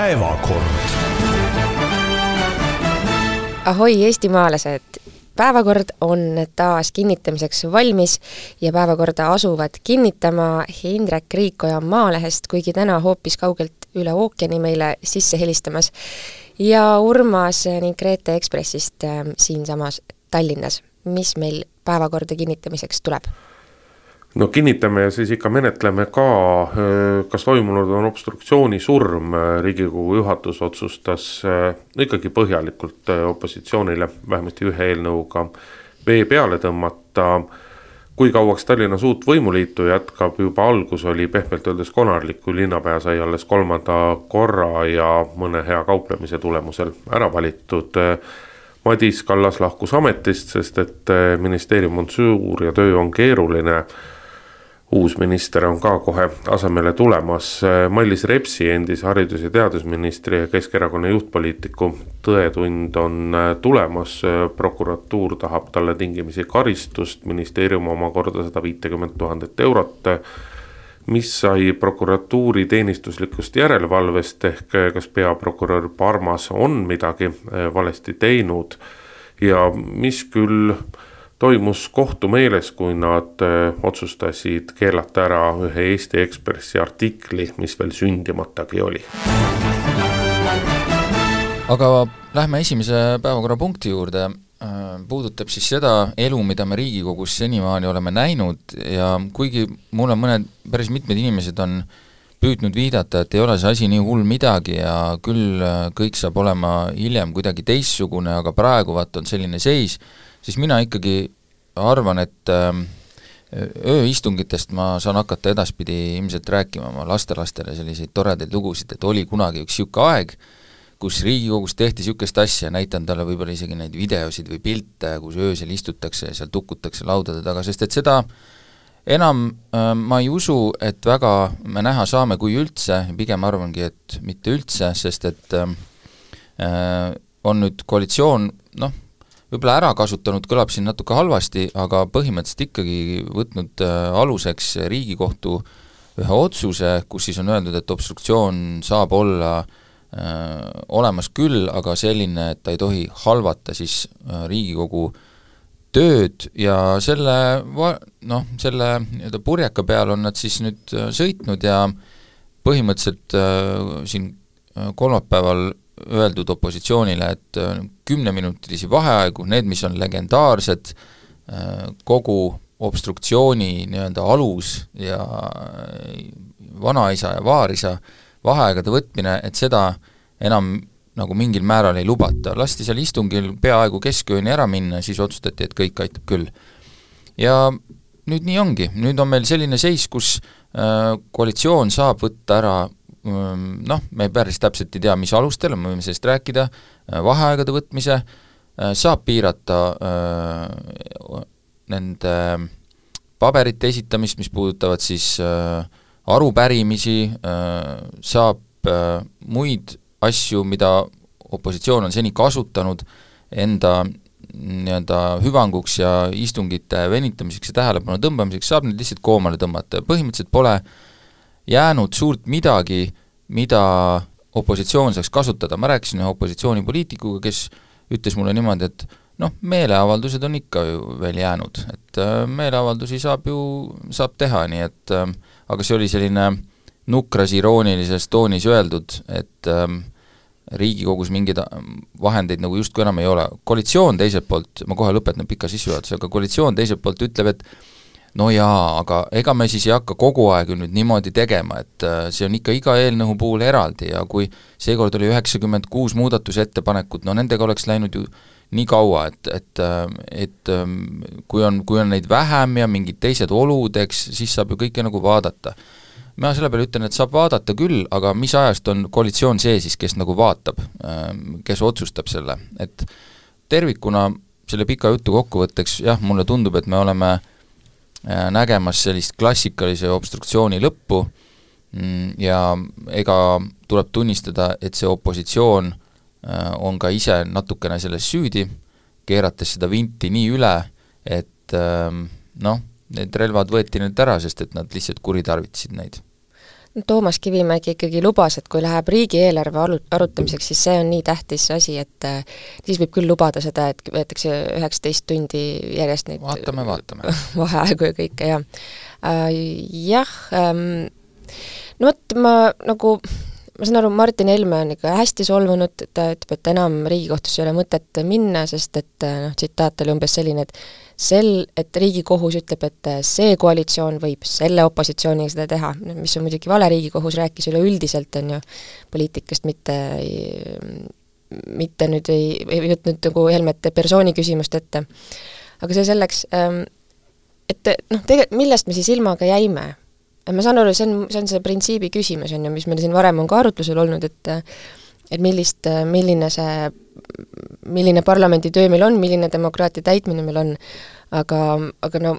Päevakord. Ahoi eestimaalased! Päevakord on taas kinnitamiseks valmis ja päevakorda asuvad kinnitama Indrek Riikoja Maalehest, kuigi täna hoopis kaugelt üle ookeani meile sisse helistamas, ja Urmas ning Grete Ekspressist siinsamas Tallinnas. Mis meil päevakorda kinnitamiseks tuleb? No kinnitame ja siis ikka menetleme ka, kas toimunud on obstruktsiooni surm. Riigikogu juhatus otsustas ikkagi põhjalikult opositsioonile vähemasti ühe eelnõuga vee peale tõmmata. Kui kauaks Tallinnas uut võimuliitu jätkab, juba algus oli pehmelt öeldes konarlik, kui linnapea sai alles 3. korra ja mõne hea kauplemise tulemusel ära valitud. Madis Kallas lahkus ametist, sest et ministeerium on suur ja töö on keeruline. Uus minister on ka kohe asemele tulemas. Mailis Repsi, endise haridus- ja teadusministri ja Keskerakonna juhtpoliitiku tõetund on tulemas. Prokuratuur tahab talle tingimisi karistust, ministeerium omakorda 150 000 eurot. Mis sai prokuratuuri teenistuslikust järelevalvest ehk kas peaprokurör Parmas on midagi valesti teinud ja mis küll toimus kohtumeeles, kui nad otsustasid keelata ära ühe Eesti Ekspressi artikli, mis veel sündimatagi oli. Aga lähme esimese päevakorrapunkti juurde. Puudutab siis seda elu, mida me Riigikogus senimaani oleme näinud ja kuigi mul on päris mitmed inimesed on püüdnud viidata, et ei ole see asi nii hull midagi ja küll kõik saab olema hiljem kuidagi teistsugune, aga praegu on selline seis, siis mina ikkagi arvan, et ööistungitest ma saan hakata edaspidi ilmselt rääkima oma lastelastele selliseid toredaid lugusid, et oli kunagi üks siuke aeg, kus Riigikogus tehti siukest asja, näitan talle võib-olla isegi neid videosid või pilte, kus öösel istutakse ja seal tukutakse laudade taga, sest et seda enam ma ei usu, et väga me näha saame kui üldse, pigem arvangi, et mitte üldse, sest et on nüüd koalitsioon, võib-olla ära kasutanud, kõlab siin natuke halvasti, aga põhimõtteliselt ikkagi võtnud aluseks Riigikohtu ühe otsuse, kus siis on öeldud, et obstruktsioon saab olla olemas küll, aga selline, et ta ei tohi halvata siis Riigikogu tööd ja selle purjeka peal on nad siis nüüd sõitnud ja põhimõtteliselt siin kolmapäeval öeldud opositsioonile, et 10-minutilisi vaheaegu, need, mis on legendaarsed, kogu obstruktsiooni nii-öelda alus ja vanaisa ja vaarisa vaheaegade võtmine, et seda enam nagu mingil määral ei lubata. Lasti seal istungil peaaegu keskööni ära minna, siis otsustati, et kõik aitab küll. Ja nüüd nii ongi. Nüüd on meil selline seis, kus koalitsioon saab võtta ära me päris täpselt ei tea, mis alustel, me võime sellest rääkida, vaheaegade võtmise, saab piirata nende paberite esitamist, mis puudutavad siis arupärimisi, saab muid asju, mida opositsioon on seni kasutanud enda nii-öelda hüvanguks ja istungite venitamiseks ja tähelepanu tõmbamiseks, saab need lihtsalt koomale tõmmata. Põhimõtteliselt pole jäänud suurt midagi, mida opositsioon saaks kasutada. Ma rääkisin ühe opositsioonipoliitikuga, kes ütles mulle niimoodi, et meeleavaldused on ikka ju veel jäänud, et meeleavaldusi saab teha, nii et aga see oli selline nukras iroonilises toonis öeldud, et Riigikogus mingeid vahendeid nagu justkui enam ei ole. Koalitsioon teiselt poolt, ma kohe lõpetan pika sissejuhatuse, aga koalitsioon teiselt poolt ütleb, et no jaa, aga ega me siis ei hakka kogu aeg nüüd niimoodi tegema, et see on ikka iga eelnõu puhul eraldi ja kui seekord oli 96 muudatusettepanekut, nendega oleks läinud ju nii kaua, et kui on neid vähem ja mingid teised olud, siis saab ju kõike nagu vaadata. Ma selle peale ütlen, et saab vaadata küll, aga mis ajast on koalitsioon see siis, kes nagu vaatab, kes otsustab selle, et tervikuna selle pika jutu kokkuvõtteks, jah, mulle tundub, et me oleme nägemas sellist klassikalise obstruktsiooni lõppu ja ega tuleb tunnistada, et see opositsioon on ka ise natukene selles süüdi, keerates seda vinti nii üle, et need relvad võeti nüüd ära, sest et nad lihtsalt kuritarvitasid neid. Toomas Kivimägi ikkagi lubas, et kui läheb riigieelarve arutamiseks, siis see on nii tähtis asi, et siis võib küll lubada seda, et võetakse 19 tundi järjest neid vaatame. vaheaegu ja kõike, jah, no vot, ma saan aru, Martin Helme on ikka hästi solvunud, ta ütleb, et enam Riigikohtusse ei ole mõtet minna, sest et tsitaat oli umbes selline, et Riigikohus ütleb, et see koalitsioon võib selle opositsiooniga seda teha, mis on muidugi vale, Riigikohus rääkis üleüldiselt, on ju, poliitikast, mitte nüüd ei võtnud nagu Helmete persooni küsimust ette. Aga see selleks, et millest me siis ilmaga jäime? Ma saan aru, see on see printsiibi küsimus, on ju, mis meil siin varem on ka arutlusel olnud, et milline parlamendi töö meil on, milline demokraatia täitmine meil on, aga no,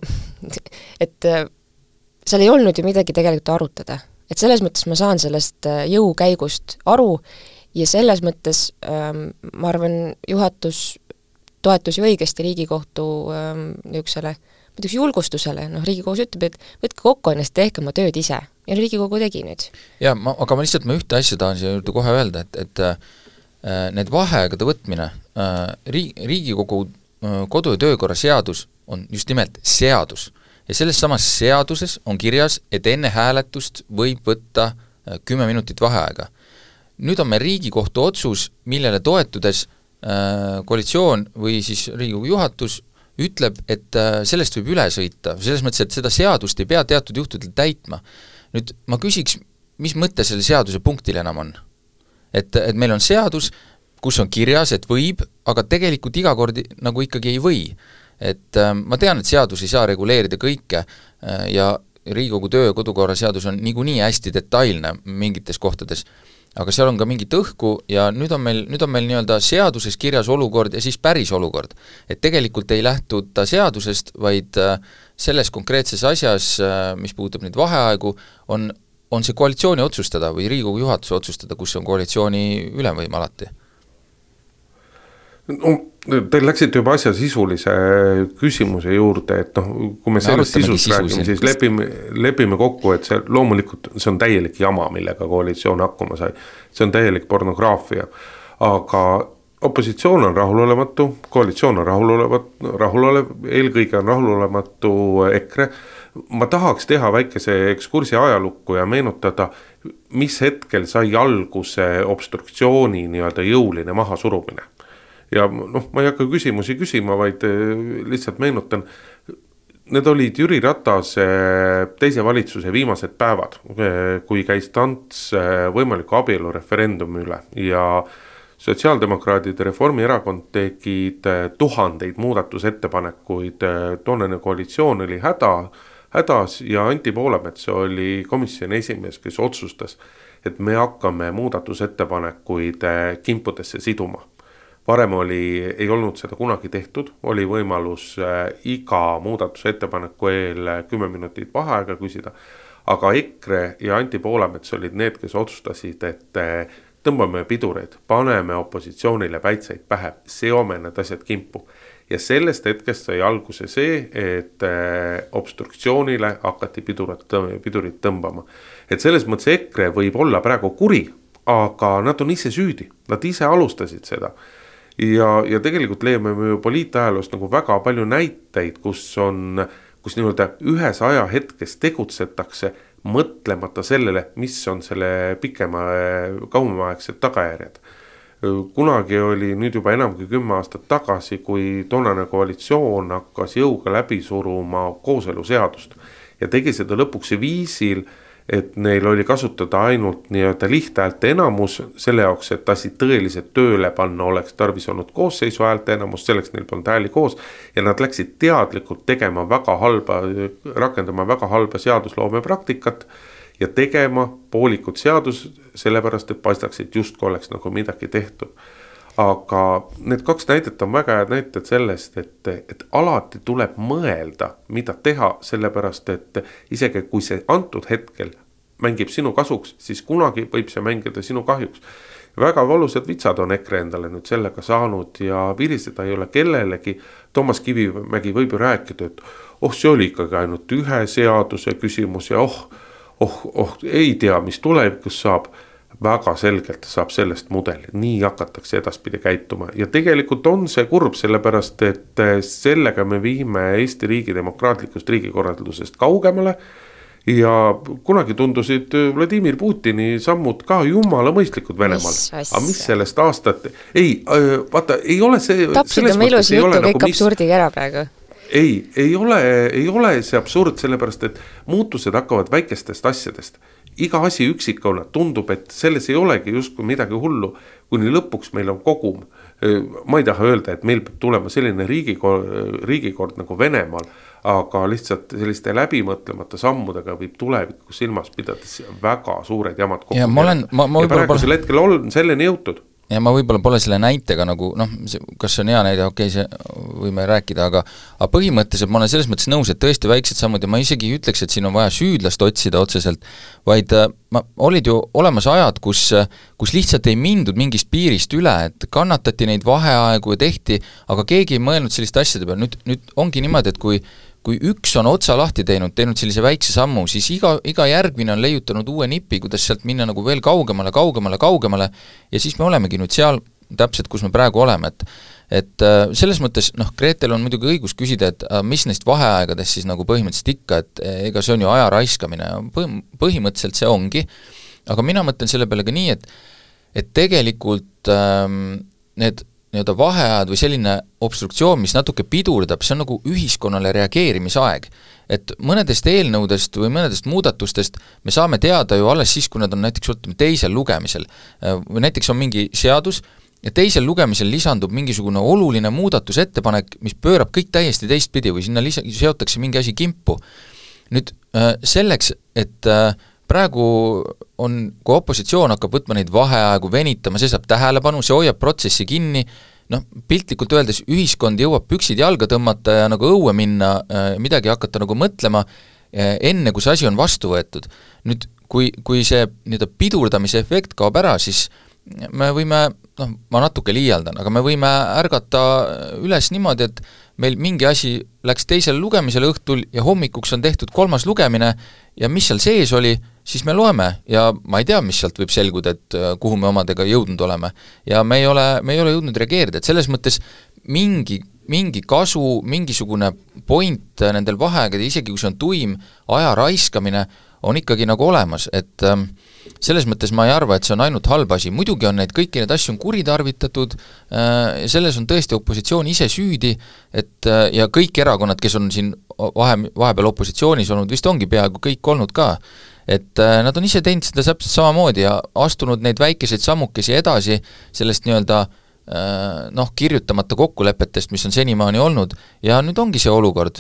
et seal ei olnud ju midagi tegelikult arutada. Et selles mõttes ma saan sellest jõukäigust aru ja selles mõttes ma arvan, juhatus toetus ju õigesti Riigikohtu niisugusele julgustusele, Riigikohus ütleb, et võtke kokku ennast, tehke oma tööd ise. Ja Riigikogu tegi nüüd. Ja, aga ma ühte asja tahan siia juurde kohe öelda, et need vaheaegade võtmine, Riigikogu kodu- ja töökorra seadus on just nimelt seadus. Ja selles samas seaduses on kirjas, et enne hääletust võib võtta 10 minutit vaheaega. Nüüd on meil Riigikohtu otsus, millele toetudes koalitsioon või siis Riigikogu juhatus ütleb, et sellest võib üle sõita, selles mõttes, et seda seadust ei pea teatud juhtudel täitma. Nüüd ma küsiks, mis mõte selle seaduse punktil enam on? Et meil on seadus, kus on kirjas, et võib, aga tegelikult iga kord nagu ikkagi ei või. Et ma tean, et seadus ei saa reguleerida kõike ja Riigikogu töö- ja kodukorra seadus on niikuinii hästi detailne mingites kohtades, aga seal on ka mingit õhku ja nüüd on meil nii-öelda seaduses kirjas olukord ja siis päris olukord. Et tegelikult ei lähtuta seadusest, vaid selles konkreetses asjas, mis puudutab neid vaheaegu, on see koalitsiooni otsustada või Riigikogu juhatuse otsustada, kus on koalitsiooni ülemvõim alati. Te läksite juba asja sisulise küsimuse juurde, et kui me sellest sisust räägime, siis lepime kokku, et see loomulikult see on täielik jama, millega koalitsioon hakkama sai. See on täielik pornograafia. Aga opositsioon on rahulolematu, koalitsioon on rahulolev, eelkõige on rahulolematu EKRE. Ma tahaks teha väikese ekskursi ajalukku ja meenutada, mis hetkel sai alguse obstruktsiooni nii-öelda jõuline mahasurumine. Ja ma ei hakka küsimusi küsima, vaid lihtsalt meenutan, need olid Jüri Ratase teise valitsuse viimased päevad, kui käis tants võimaliku abielureferendumi üle ja sotsiaaldemokraadid ja Reformierakond tegid tuhandeid muudatusettepanekuid, toonane koalitsioon oli hädas ja Anti Poolamets oli komisjoni esimees, kes otsustas, et me hakkame muudatusettepanekuid kimpudesse siduma. Varem ei olnud seda kunagi tehtud, oli võimalus iga muudatusettepaneku eel 10 minutit vaheaega küsida, aga EKRE ja Anti Poolamets olid need, kes otsustasid, et tõmbame pidureid, paneme opositsioonile päitseid pähe, seome need asjad kimpu. Ja sellest hetkest sai alguse see, et obstruktsioonile hakati pidurit tõmbama. Et selles mõttes EKRE võib olla praegu kuri, aga nad on ise süüdi, nad ise alustasid seda. Ja tegelikult leiame me ju poliitajaloost nagu väga palju näiteid, kus nii-öelda ühes ajahetkes tegutsetakse mõtlemata sellele, mis on selle kauemaaegsed tagajärjed. Kunagi oli nüüd juba enam kui 10 aastat tagasi, kui toonane koalitsioon hakkas jõuga läbi suruma kooseluseadust ja tegi seda lõpuks viisil, et neil oli kasutada ainult nii-öelda lihthäälte enamus, selle jaoks, et asi tõeliselt tööle panna oleks tarvis olnud koosseisu häälte enamus, selleks neil polnud hääli koos ja nad läksid teadlikult rakendama väga halba seadusloome praktikat ja tegema poolikut seadus, sellepärast, et paistaks, et justkui oleks nagu midagi tehtud. Aga need 2 näidet on väga head näited sellest, et alati tuleb mõelda, mida teha, sellepärast, et isegi kui see antud hetkel mängib sinu kasuks, siis kunagi võib see mängida sinu kahjuks. Väga valusad vitsad on EKRE endale nüüd sellega saanud ja viriseda ei ole kellelegi. Toomas Kivimägi võib ju rääkida, et see oli ikkagi ainult ühe seaduse küsimus ja ei tea, mis tulevikus saab, väga selgelt saab sellest mudeli, nii hakatakse edaspidi käituma ja tegelikult on see kurb, sellepärast et sellega me viime Eesti riigi demokraatlikust riigikorraldusest kaugemale ja kunagi tundusid Vladimir Putini sammud ka jumala mõistlikud Venemaal, aga mis sellest aastat, vaata, ei ole see tapsid oma ilusi jutu kõik absurdiga ära praegu. Ei ole see absurd, sellepärast et muutused hakkavad väikestest asjadest. Iga asi üksikuna tundub, et selles ei olegi justkui midagi hullu, kuni lõpuks meil on kogum. Ma ei taha öelda, et meil peab tulema selline riigikord nagu Venemaal, aga lihtsalt selliste läbimõtlemata sammudega võib tulevikus silmas pidades väga suured jamad kokku. Ja praegusel hetkel on selleni jõutud. Ja ma võib-olla pole selle näitega nagu, kas see on hea näide, see võime rääkida, aga põhimõtteliselt ma olen selles mõttes nõus, et tõesti väiksed sammud ja ma isegi ütleks, et siin on vaja süüdlast otsida otseselt, vaid olid ju olemas ajad, kus lihtsalt ei mindud mingist piirist üle, et kannatati neid vaheaegu ja tehti, aga keegi ei mõelnud selliste asjade peale, nüüd ongi niimoodi, et kui üks on otsa lahti teinud sellise väikse sammu, siis iga järgmine on leiutanud uue nipi, kuidas sealt minna nagu veel kaugemale ja siis me olemegi nüüd seal täpselt, kus me praegu oleme, et selles mõttes, Gretel on muidugi õigus küsida, et mis neist vaheaegadest siis nagu põhimõtteliselt ikka, et ega see on ju aja raiskamine, põhimõtteliselt see ongi, aga mina mõtlen selle peale ka nii, et tegelikult need nii-öelda vaheajad või selline obstruktsioon, mis natuke pidurdab, see on nagu ühiskonnale reageerimisaeg. Et mõnedest eelnõudest või mõnedest muudatustest me saame teada ju alles siis, kui nad on näiteks teisel lugemisel. Või näiteks on mingi seadus ja teisel lugemisel lisandub mingisugune oluline muudatusettepanek, mis pöörab kõik täiesti teistpidi või sinna seotakse mingi asi kimpu. Nüüd selleks, et praegu kui opositsioon hakkab võtma neid vaheaegu venitama, see saab tähelepanu, see hoiab protsessi kinni, piltlikult öeldes ühiskond jõuab püksid jalga tõmmata ja nagu õue minna, midagi hakata nagu mõtlema, enne kui see asi on vastu võetud. Nüüd, kui see pidurdamise efekt kaob ära, siis me võime, ma natuke liialdan, aga me võime ärgata üles niimoodi, et meil mingi asi läks teisele lugemisele õhtul ja hommikuks on tehtud 3. lugemine ja mis seal sees oli, siis me loeme ja ma ei tea, mis sealt võib selguda, et kuhu me omadega jõudnud oleme. Ja me ei ole jõudnud reageerida, et selles mõttes mingi kasu, mingisugune point nendel vaheaegade, isegi kui see on tuim aja raiskamine, on ikkagi nagu olemas, et selles mõttes ma ei arva, et see on ainult halb asi, muidugi on kõiki need asju on kuritarvitatud, selles on tõesti opositsioon ise süüdi, et ja kõik erakonnad, kes on siin vahepeal opositsioonis olnud, vist ongi peaaegu kõik olnud ka, et nad on ise teinud seda täpselt samamoodi ja astunud neid väikeseid sammukesi edasi sellest nii-öelda kirjutamata kokkulepetest, mis on senimaani olnud ja nüüd ongi see olukord,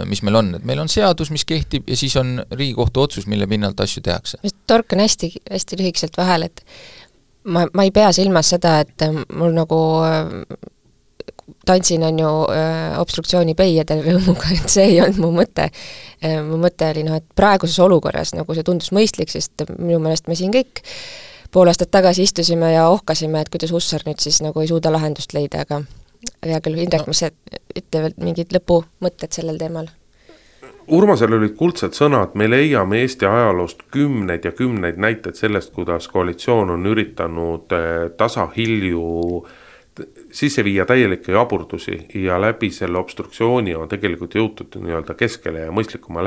mis meil on, et meil on seadus, mis kehtib ja siis on Riigikohtu otsus, mille pinnalt asju tehakse. Torkan hästi lühikeselt vahel, et ma ei pea silmas seda, et mul nagu tantsin on ju obstruktsiooni peijadel rõõmuga, et see ei olnud mu mõte. Mu mõte oli, et praeguses olukorras nagu see tundus mõistlik, sest minu meelest me siin kõik pool aastat tagasi istusime ja ohkasime, et kuidas Hussar nüüd siis nagu ei suuda lahendust leida, aga hea küll, Indrek, mis ütle veel mingid lõpumõtted sellel teemal? Urmasel olid kuldsed sõnad, me leiame Eesti ajaloost kümneid ja kümneid näiteid sellest, kuidas koalitsioon on üritanud tasahilju sisse viia täielikke jaburdusi ja läbi selle obstruktsiooni on tegelikult jõutud nii-öelda keskele ja mõistlikuma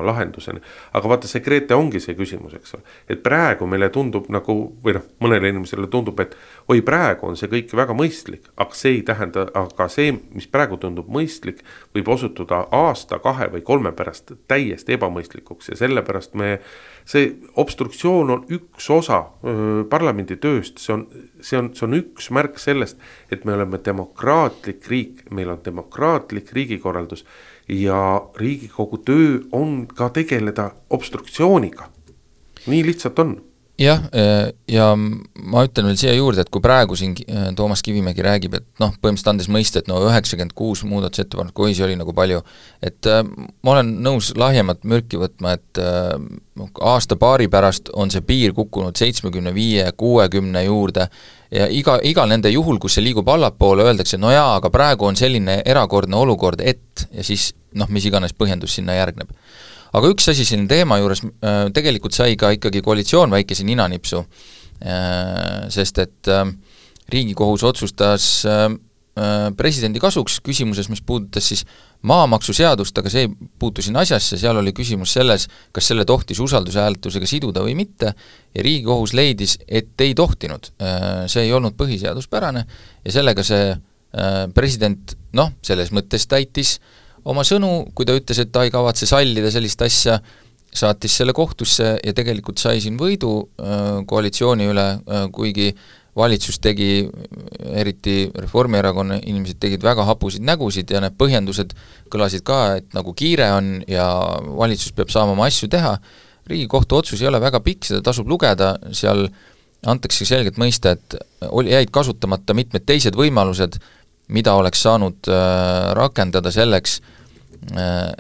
lahenduseni. Aga vaata, see Grete ongi see küsimus, eks ole. Et praegu meile tundub nagu, või mõnele inimesele tundub, et praegu on see kõik väga mõistlik, aga see ei tähenda, aga see, mis praegu tundub mõistlik, võib osutuda aasta, 2 või 3 pärast täiesti ebamõistlikuks ja sellepärast see obstruktsioon on üks osa parlamendi tööst, see on üks märk sellest, et me oleme demokraatlik riik, meil on demokraatlik riigikorraldus ja Riigikogu töö on ka tegeleda obstruktsiooniga. Nii lihtsalt on. Jah, ja ma ütlen veel siia juurde, et kui praegu siin Toomas Kivimägi räägib, et põhimõtteliselt andes mõista, et 96 muudatusettepanek, kui see oli nagu palju, et ma olen nõus lahjemat mürki võtma, et aasta-paari pärast on see piir kukkunud 75-60 juurde ja igal nende juhul, kus see liigub allapoole, öeldakse, no jaa, aga praegu on selline erakordne olukord, et ja siis mis iganes põhjendus sinna järgneb. Aga üks asi siin teema juures, tegelikult sai ka ikkagi koalitsioon väikese ninanipsu, sest et Riigikohus otsustas presidendi kasuks küsimuses, mis puudutas siis maamaksuseadust, aga see ei puutu siin asjasse, seal oli küsimus selles, kas selle tohtis usaldushääletusega siduda või mitte, ja Riigikohus leidis, et ei tohtinud. See ei olnud põhiseaduspärane ja sellega see president, selles mõttes täitis oma sõnu, kui ta ütles, et ta ei kavatse sallida sellist asja, saatis selle kohtusse ja tegelikult sai siin võidu koalitsiooni üle, kuigi valitsus tegi, eriti Reformierakonna inimesed tegid väga hapusid nägusid ja need põhjendused kõlasid ka, et nagu kiire on ja valitsus peab saama oma asju teha. Riigikohtu otsus ei ole väga pikk, seda tasub lugeda, seal antakse selgelt mõista, et jäid kasutamata mitmed teised võimalused, mida oleks saanud rakendada selleks,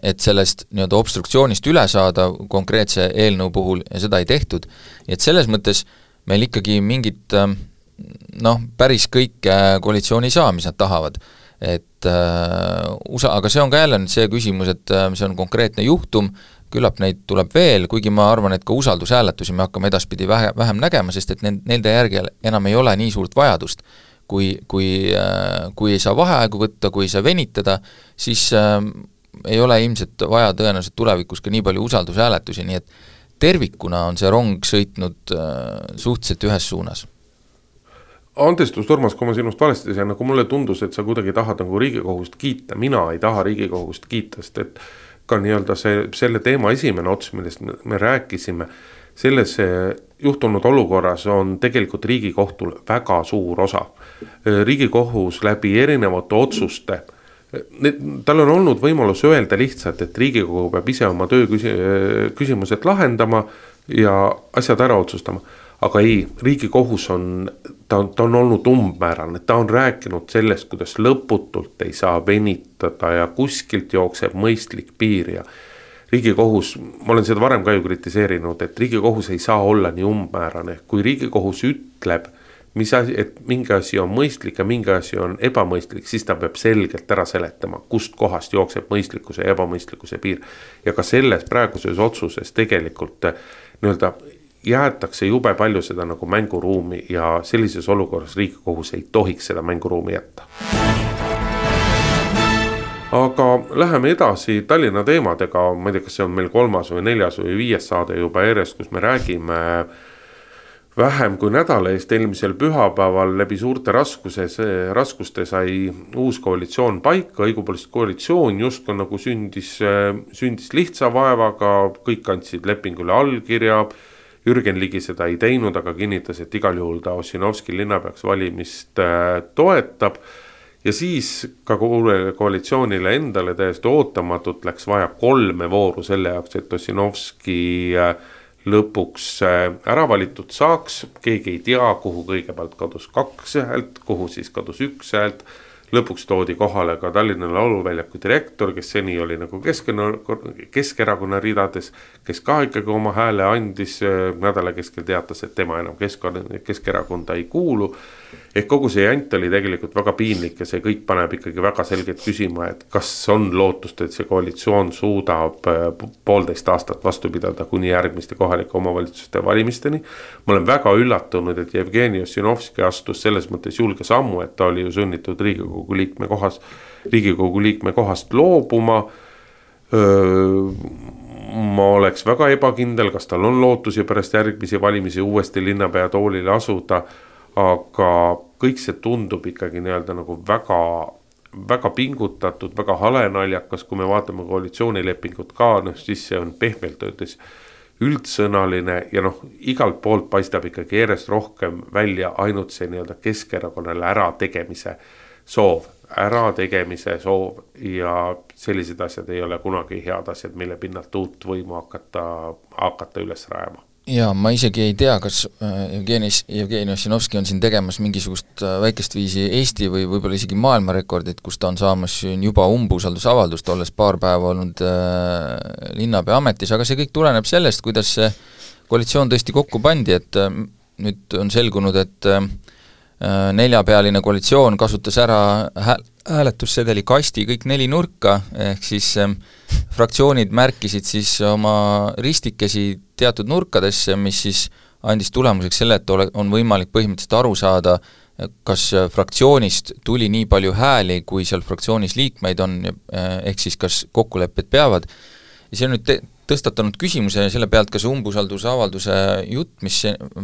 et sellest nii-öelda obstruktsioonist üle saada konkreetse eelnõu puhul ja seda ei tehtud. Et selles mõttes meil ikkagi mingit päris kõik koalitsiooni ei saa, mis nad tahavad. Aga see on ka jälle nüüd see küsimus, et see on konkreetne juhtum, küllap neid tuleb veel, kuigi ma arvan, et ka usaldushääletusi me hakkame edaspidi vähem nägema, sest et nende järgel enam ei ole nii suurt vajadust. Kui ei saa vaheaegu võtta, kui ei saa venitada, siis ei ole ilmselt vaja tõenäoliselt tulevikus ka nii palju usaldushääletusi, nii et tervikuna on see rong sõitnud suhteliselt ühes suunas. Andestus, Urmas, kui ma sinust valesti sain, nagu mulle tundus, et sa kuidagi tahad nagu Riigikohust kiita, mina ei taha Riigikohust kiita, sest et ka nii-öelda selle teema esimene ots, millest me rääkisime, selles juhtunud olukorras on tegelikult Riigikohtul väga suur osa. Riigikohus läbi erinevate otsuste, tal on olnud võimalus öelda lihtsalt, et Riigikogu peab ise oma töö küsimused lahendama ja asjad ära otsustama. Aga ei, Riigikohus ta on olnud umbmäärane, ta on rääkinud sellest, kuidas lõputult ei saa venitada ja kuskilt jookseb mõistlik piir ja Riigikohus, ma olen seda varem ka ju kritiseerinud, et Riigikohus ei saa olla nii umbmäärane. Kui Riigikohus ütleb, et mingi asi on mõistlik ja mingi asi on ebamõistlik, siis ta peab selgelt ära seletama, kust kohast jookseb mõistlikkuse ja ebamõistlikkuse piir. Ja ka selles praeguses otsuses tegelikult nii-öelda jäetakse jube palju seda nagu mänguruumi ja sellises olukorras Riigikohus ei tohiks seda mänguruumi jätta. Aga läheme edasi Tallinna teemadega, ma ei tea, kas see on meil 3. või 4. või 5. saade juba järjest, kus me räägime vähem kui nädala eest eelmisel pühapäeval läbi suurte raskuste sai uus koalitsioon paika, õigupoolest koalitsioon just nagu sündis lihtsa vaevaga, kõik andsid lepingule allkirja, Jürgen Ligi seda ei teinud, aga kinnitas, et igal juhul ta Ossinovski linnapeaks valimist toetab ja siis ka koalitsioonile endale täiesti ootamatult läks vaja 3 vooru selle jaoks, et Ossinovski lõpuks ära valitud saaks. Keegi ei tea, kuhu kõigepealt kadus 2 häält, kuhu siis kadus 1 häält. Lõpuks toodi kohale ka Tallinna lauluväljaku direktor, kes seni oli nagu Keskerakonna ridades, kes ka ikkagi oma hääle andis, nädala keskel teatas, et tema enam Keskerakonda ei kuulu. Ehk kogu see jant oli tegelikult väga piinlik ja see kõik paneb ikkagi väga selgelt küsima, et kas on lootust, et see koalitsioon suudab 1,5 aastat vastu pidada kuni järgmiste kohalike omavalitsuste valimisteni. Ma olen väga üllatunud, et Jevgeni Ossinovski astus selles mõttes julge sammu, et ta oli ju sunnitud Riigikogu liikme kohast loobuma. Ma oleks väga ebakindel, kas tal on lootusi pärast järgmisi valimisi uuesti linnapea toolile asuda, aga kõik see tundub ikkagi nii-öelda nagu väga, väga pingutatud, väga halenaljakas, kui me vaatame koalitsioonilepingut ka, siis see on pehmelt öeldes üldsõnaline ja igalt poolt paistab ikkagi järjest rohkem välja ainult see nii-öelda Keskerakonnale ärategemise soov ja sellised asjad ei ole kunagi head asjad, mille pinnalt uut võimu hakata üles rajama. Jaa, ma isegi ei tea, kas Jevgeni Ossinovski on siin tegemas mingisugust väikest viisi Eesti või võib-olla isegi maailmarekordit, kus ta on saamas juba umbusaldusavaldust, olles paar päeva olnud linnapea ametis, aga see kõik tuleneb sellest, kuidas see koalitsioon tõesti kokku pandi, et nüüd on selgunud, et 4-pealine koalitsioon kasutas ära hääletussedeli kasti kõik 4 nurka, ehk siis fraktsioonid märkisid siis oma ristikesi teatud nurkadesse, mis siis andis tulemuseks selle, et on võimalik põhimõtteliselt aru saada, kas fraktsioonist tuli nii palju hääli, kui seal fraktsioonis liikmeid on, ehk siis kas kokkulepped peavad. Ja see on nüüd tõstatanud küsimuse selle pealt, kas umbusaldusavalduse jutt, mis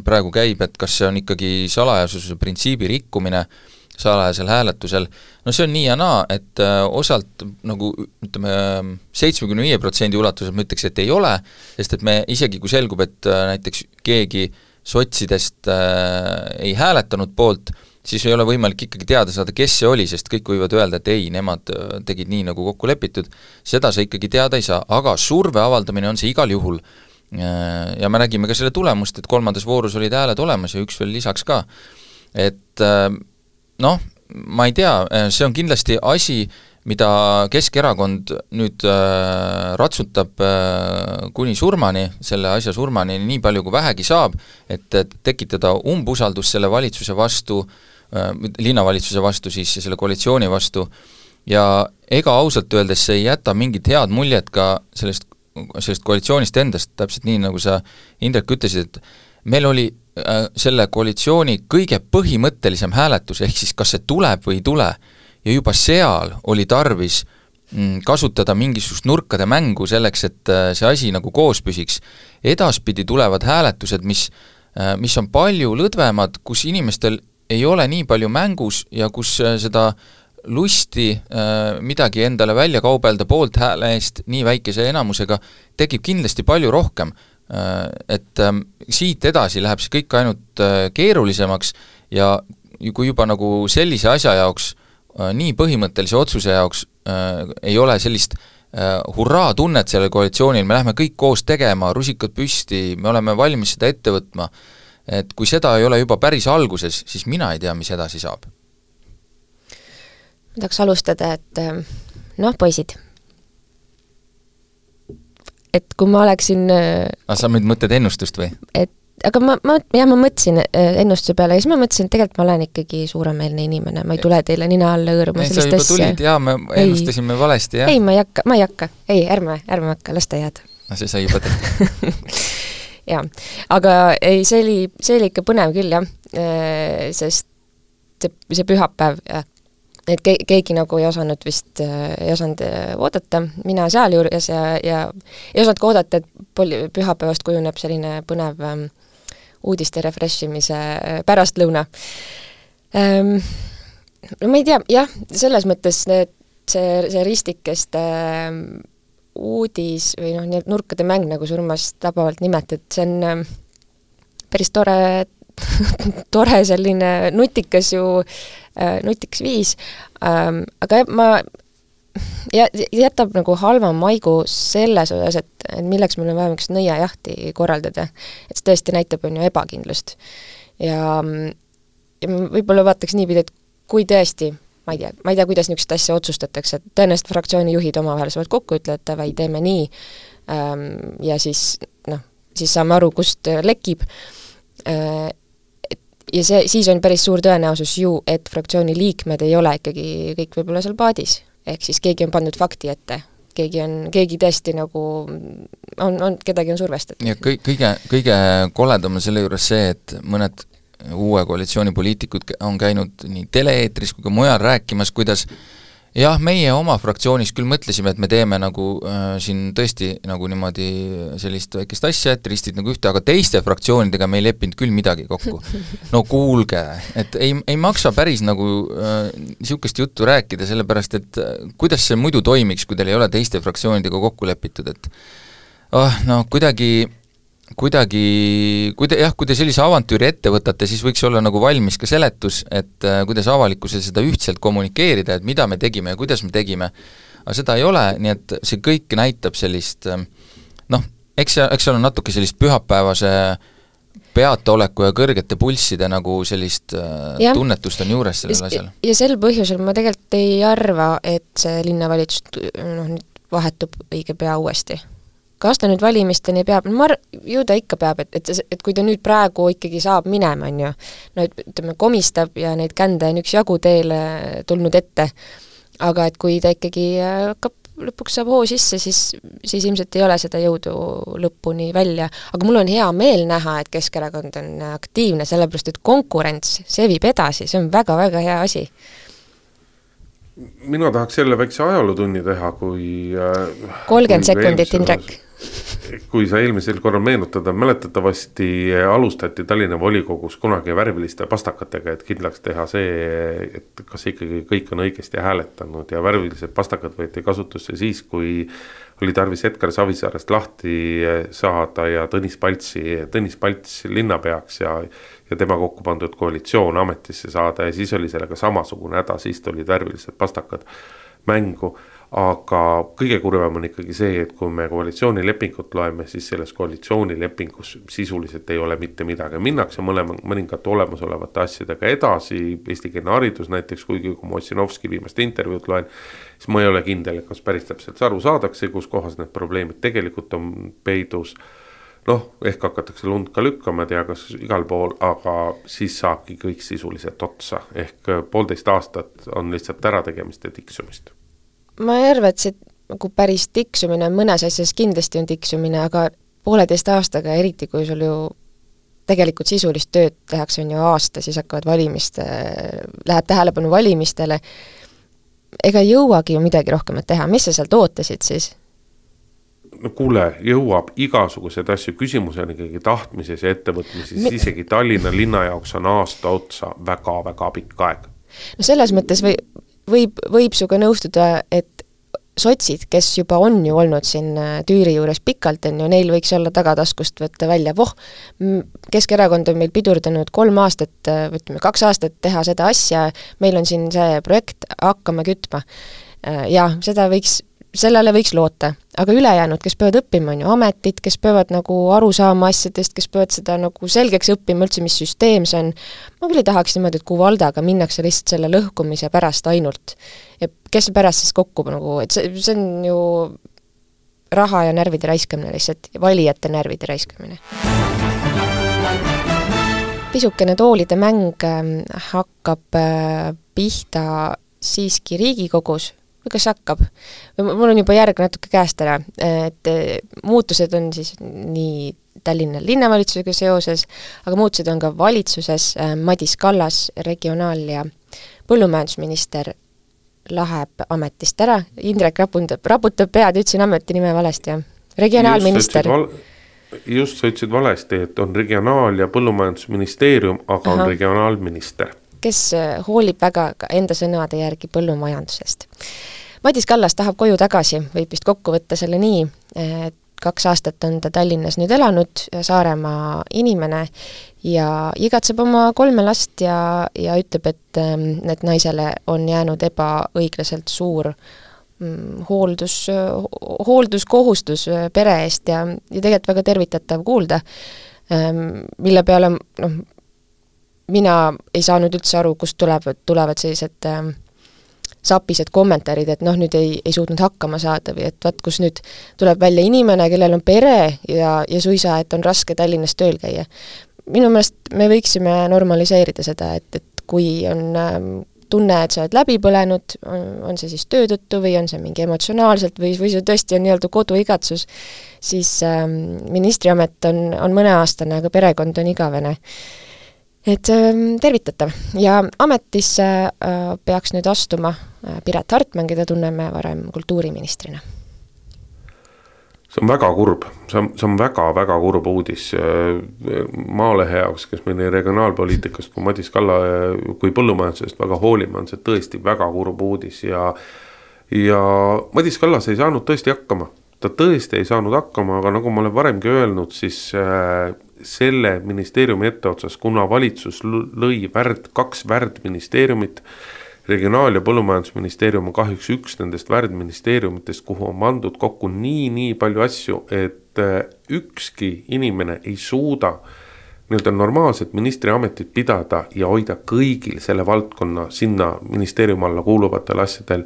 praegu käib, et kas see on ikkagi salajasuse printsiibi rikkumine salajasel hääletusel, no see on nii ja naa, et osalt nagu ütleme 75% ulatuses ma ütleks, et ei ole, sest et me isegi kui selgub, et näiteks keegi sotsidest ei hääletanud poolt, siis ei ole võimalik ikkagi teada saada, kes see oli, sest kõik võivad öelda, et ei, nemad tegid nii, nagu kokku lepitud, seda sa ikkagi teada ei saa, aga surve avaldamine on see igal juhul. Ja me nägime ka selle tulemust, et 3. voorus olid hääled olemas ja üks veel lisaks ka. Et noh, ma ei tea, see on kindlasti asi, mida Keskerakond nüüd ratsutab kuni surmani, selle asja surmani nii palju kui vähegi saab, et tekitada umbusaldust selle valitsuse vastu, linnavalitsuse vastu siis ja selle koalitsiooni vastu, ja ega ausalt öeldes see ei jäta mingit head muljet ka sellest koalitsioonist endast, täpselt nii, nagu sa, Indrek, ütlesid, et meil oli selle koalitsiooni kõige põhimõttelisem hääletus, ehk siis kas see tuleb või ei tule, ja juba seal oli tarvis kasutada mingisugust nurkade mängu selleks, et see asi nagu koos püsiks. Edaspidi tulevad hääletused, mis on palju lõdvemad, kus inimestel ei ole nii palju mängus ja kus seda lusti midagi endale välja kaubelda poolt hääle eest nii väikese enamusega tekib kindlasti palju rohkem. Et siit edasi läheb see kõik ainult keerulisemaks ja kui juba nagu sellise asja jaoks, nii põhimõttelise otsuse jaoks ei ole sellist hurraa tunnet sellel koalitsioonil, me lähme kõik koos tegema, rusikad püsti, me oleme valmis seda ette võtma, et kui seda ei ole juba päris alguses, siis mina ei tea, mis edasi saab. Ma tahaks alustada, et noh, poisid, et kui ma oleksin sa nüüd mõtled ennustust või? Aga ma mõtlesin ennustuse peale ja siis ma mõtlesin, et tegelikult ma olen ikkagi suuremeelne inimene, ma ei tule teile nina alla hõõruma sellist asja. Sa juba tulid, jaa, me ennustasime valesti, jah? Ei, ma ei hakka, ärme hakka, las ta jääd. See sai juba tehtud. Jaa, aga ei, see oli ikka põnev küll, jah, sest see pühapäev, et keegi nagu ei osanud oodata, mina seal juures ja ei osanud ka oodata, et pühapäevast kujuneb selline põnev uudiste refreshimise pärastlõuna. No ma ei tea, jah, selles mõttes see ristikeste uudis või noh, nii nurkade mäng, nagu Surmas tabavalt nimetad, see on päris tore selline nutikas viis, aga jätab nagu halva maigu selles osas, et milleks meil on vaja mingist nõiajahti korraldada. Et see tõesti näitab on ju ebakindlust. Ja võib-olla vaataks niipidi, et kui tõesti, ma ei tea, kuidas niisugust asja otsustatakse, et tõenäoliselt fraktsiooni juhid omavahel saavad kokku ütleda, või teeme nii, ja siis saame aru, kust lekib. Ja siis on päris suur tõenäosus ju, et fraktsiooni liikmed ei ole ikkagi kõik võib-olla seal paadis. Ehk siis keegi on pandud fakti ette. Keegi tõesti nagu kedagi on survestatud. Ja kõige koledam on selle juures see, et mõned uue koalitsiooni poliitikud on käinud nii teleeetris kui ka mujal rääkimas, kuidas jah, meie oma fraktsioonis küll mõtlesime, et me teeme nagu siin tõesti nagu niimoodi sellist väikest asja, et ristid nagu ühte, aga teiste fraktsioonidega me ei leppinud küll midagi kokku. No kuulge, et ei maksa päris nagu niisugust juttu rääkida, sellepärast et kuidas see muidu toimiks, kui teil ei ole teiste fraktsioonidega kokku lepitud, et kui te sellise avantüüri ette võtate, siis võiks olla nagu valmis ka seletus, et kuidas avalikkusel seda ühtselt kommunikeerida, et mida me tegime ja kuidas me tegime. Aga seda ei ole, nii et see kõik näitab sellist, eks seal on natuke sellist pühapäevase peataoleku ja kõrgete pulsside nagu sellist tunnetust on juures sellel asjal. Ja sel põhjusel ma tegelikult ei arva, et see linnavalitsus nüüd vahetub õige pea uuesti. Kas ta nüüd valimisteni peab, ju ta ikka peab, et kui ta nüüd praegu ikkagi saab minema, on ju, ütleme, komistab ja neid kände on üks jagu teele tulnud ette, aga et kui ta ikkagi hakkab lõpuks saab hoo sisse, siis ilmselt ei ole seda jõudu lõpuni välja. Aga mul on hea meel näha, et Keskerakond on aktiivne, sellepärast et konkurents, see viib edasi, see on väga-väga hea asi. Mina tahaks jälle väikse ajalootunni teha, kui 30 sekundit, Indrek. Kui sa eelmisel korral meenutada, mäletatavasti alustati Tallinna volikogus kunagi värviliste pastakatega, et kindlaks teha see, et kas ikkagi kõik on õigesti hääletanud ja värvilised pastakad võeti kasutusse siis, kui oli tarvis Edgar Savisaarest lahti saada ja Tõnis Palts linnapeaks ja tema kokku pandud koalitsioon ametisse saada ja siis oli sellega samasugune häda, siis olid värvilised pastakad mängu. Aga kõige kurvem on ikkagi see, et kui me koalitsioonilepingut loeme, siis selles koalitsioonilepingus sisuliselt ei ole mitte midagi. Minnakse mõningate olemasolevate asjadega edasi, eestikeelne haridus näiteks, kuigi kui ma Ossinovski viimast intervjuud loen, siis ma ei ole kindel, kas päris täpselt aru saadakse, kus kohas need probleemid tegelikult on peidus. Ehk hakatakse lund ka lükkama, tea kas igal pool, aga siis saabki kõik sisuliselt otsa. Ehk 1,5 aastat on lihtsalt ärategemist ja tiksumist. Ma ei arva, et see nagu päris tiksumine, mõnes asjas kindlasti on tiksumine, aga 1,5 aastaga, eriti kui sul ju tegelikult sisulist tööd tehakse on ju aasta, siis hakkavad läheb tähelepanu valimistele, ega jõuagi ju midagi rohkemat teha. Mis sa sealt ootasid siis? No kuule, jõuab igasugused asju, küsimus on ikkagi tahtmises ja ettevõtmises, isegi Tallinna linna jaoks on aasta otsa väga-väga pikk aeg. No selles mõttes võib suga nõustuda, et sotsid, kes juba on ju olnud siin Tüüri juures pikalt, neil võiks olla tagataskust võtta välja, Keskerakond on meil pidurdanud 3 aastat, 2 aastat teha seda asja, meil on siin see projekt, hakkame kütma. Ja sellele võiks loota, aga ülejäänud, kes peavad õppima, on ju ametid, kes peavad nagu aru saama asjadest, kes peavad seda nagu selgeks õppima üldse, mis süsteem see on. Ma küll ei tahaks niimoodi, et kui Valdaga minnakse lihtsalt selle lõhkumise pärast ainult. Ja kes pärast siis kokku nagu, et see on ju raha ja närvide raiskamine lihtsalt, valijate närvide raiskamine. Pisukene toolide mäng hakkab pihta siiski Riigikogus, või kas hakkab? Mul on juba järg natuke käest ära, et muutused on siis nii Tallinna linnavalitsusega seoses, aga muutused on ka valitsuses. Madis Kallas, regionaal- ja põllumajandusminister, läheb ametist ära. Indrek raputab pead, ütlesin ametinime valesti, ja regionaalminister. Just sa ütlesid valesti, et on regionaal- ja põllumajandusministeerium, aga on regionaalminister, kes hoolib väga enda sõnade järgi põllumajandusest. Madis Kallas tahab koju tagasi, võib vist kokku võtta selle nii, et 2 aastat on ta Tallinnas nüüd elanud, Saaremaa inimene ja igatseb oma 3 last ja ütleb, et naisele on jäänud ebaõiglaselt suur hoolduskohustus pere eest ja tegelikult väga tervitatav kuulda, mille peale mina ei saanud üldse aru, kust tulevad sellised sapised kommentaarid, et nüüd ei suutnud hakkama saada või et vaat, kus nüüd tuleb välja inimene, kellel on pere ja suisa, et on raske Tallinnas tööl käia. Minu meelest me võiksime normaliseerida seda, et kui on tunne, et sa oled läbi põlenud, on see siis töö tõttu või on see mingi emotsionaalselt või see tõesti on nii-öelda koduigatsus, siis ministriamet on mõneaastane, aga perekond on igavene. Et tervitatav ja ametisse peaks nüüd astuma Piret Hartman, keda tunneme varem kultuuriministrina. See on väga kurb, see on väga-väga kurb uudis Maalehe jaoks, kes meil regionaalpoliitikast kui Madis Kalla kui põllumajandusest väga hoolima on see tõesti väga kurb uudis ja Madis Kallas ei saanud tõesti hakkama. Ta tõesti ei saanud hakkama, aga nagu ma olen varemgi öelnud, siis selle ministeeriumi etteotsas, kuna valitsus lõi 2 värdministeeriumit, regionaal- ja põllumajandusministeerium on kahjuks üks nendest värdministeeriumitest, kuhu on pandud kokku nii palju asju, et ükski inimene ei suuda normaalset ministriametit pidada ja hoida kõigil selle valdkonna sinna ministeeriumi alla kuuluvatel asjadel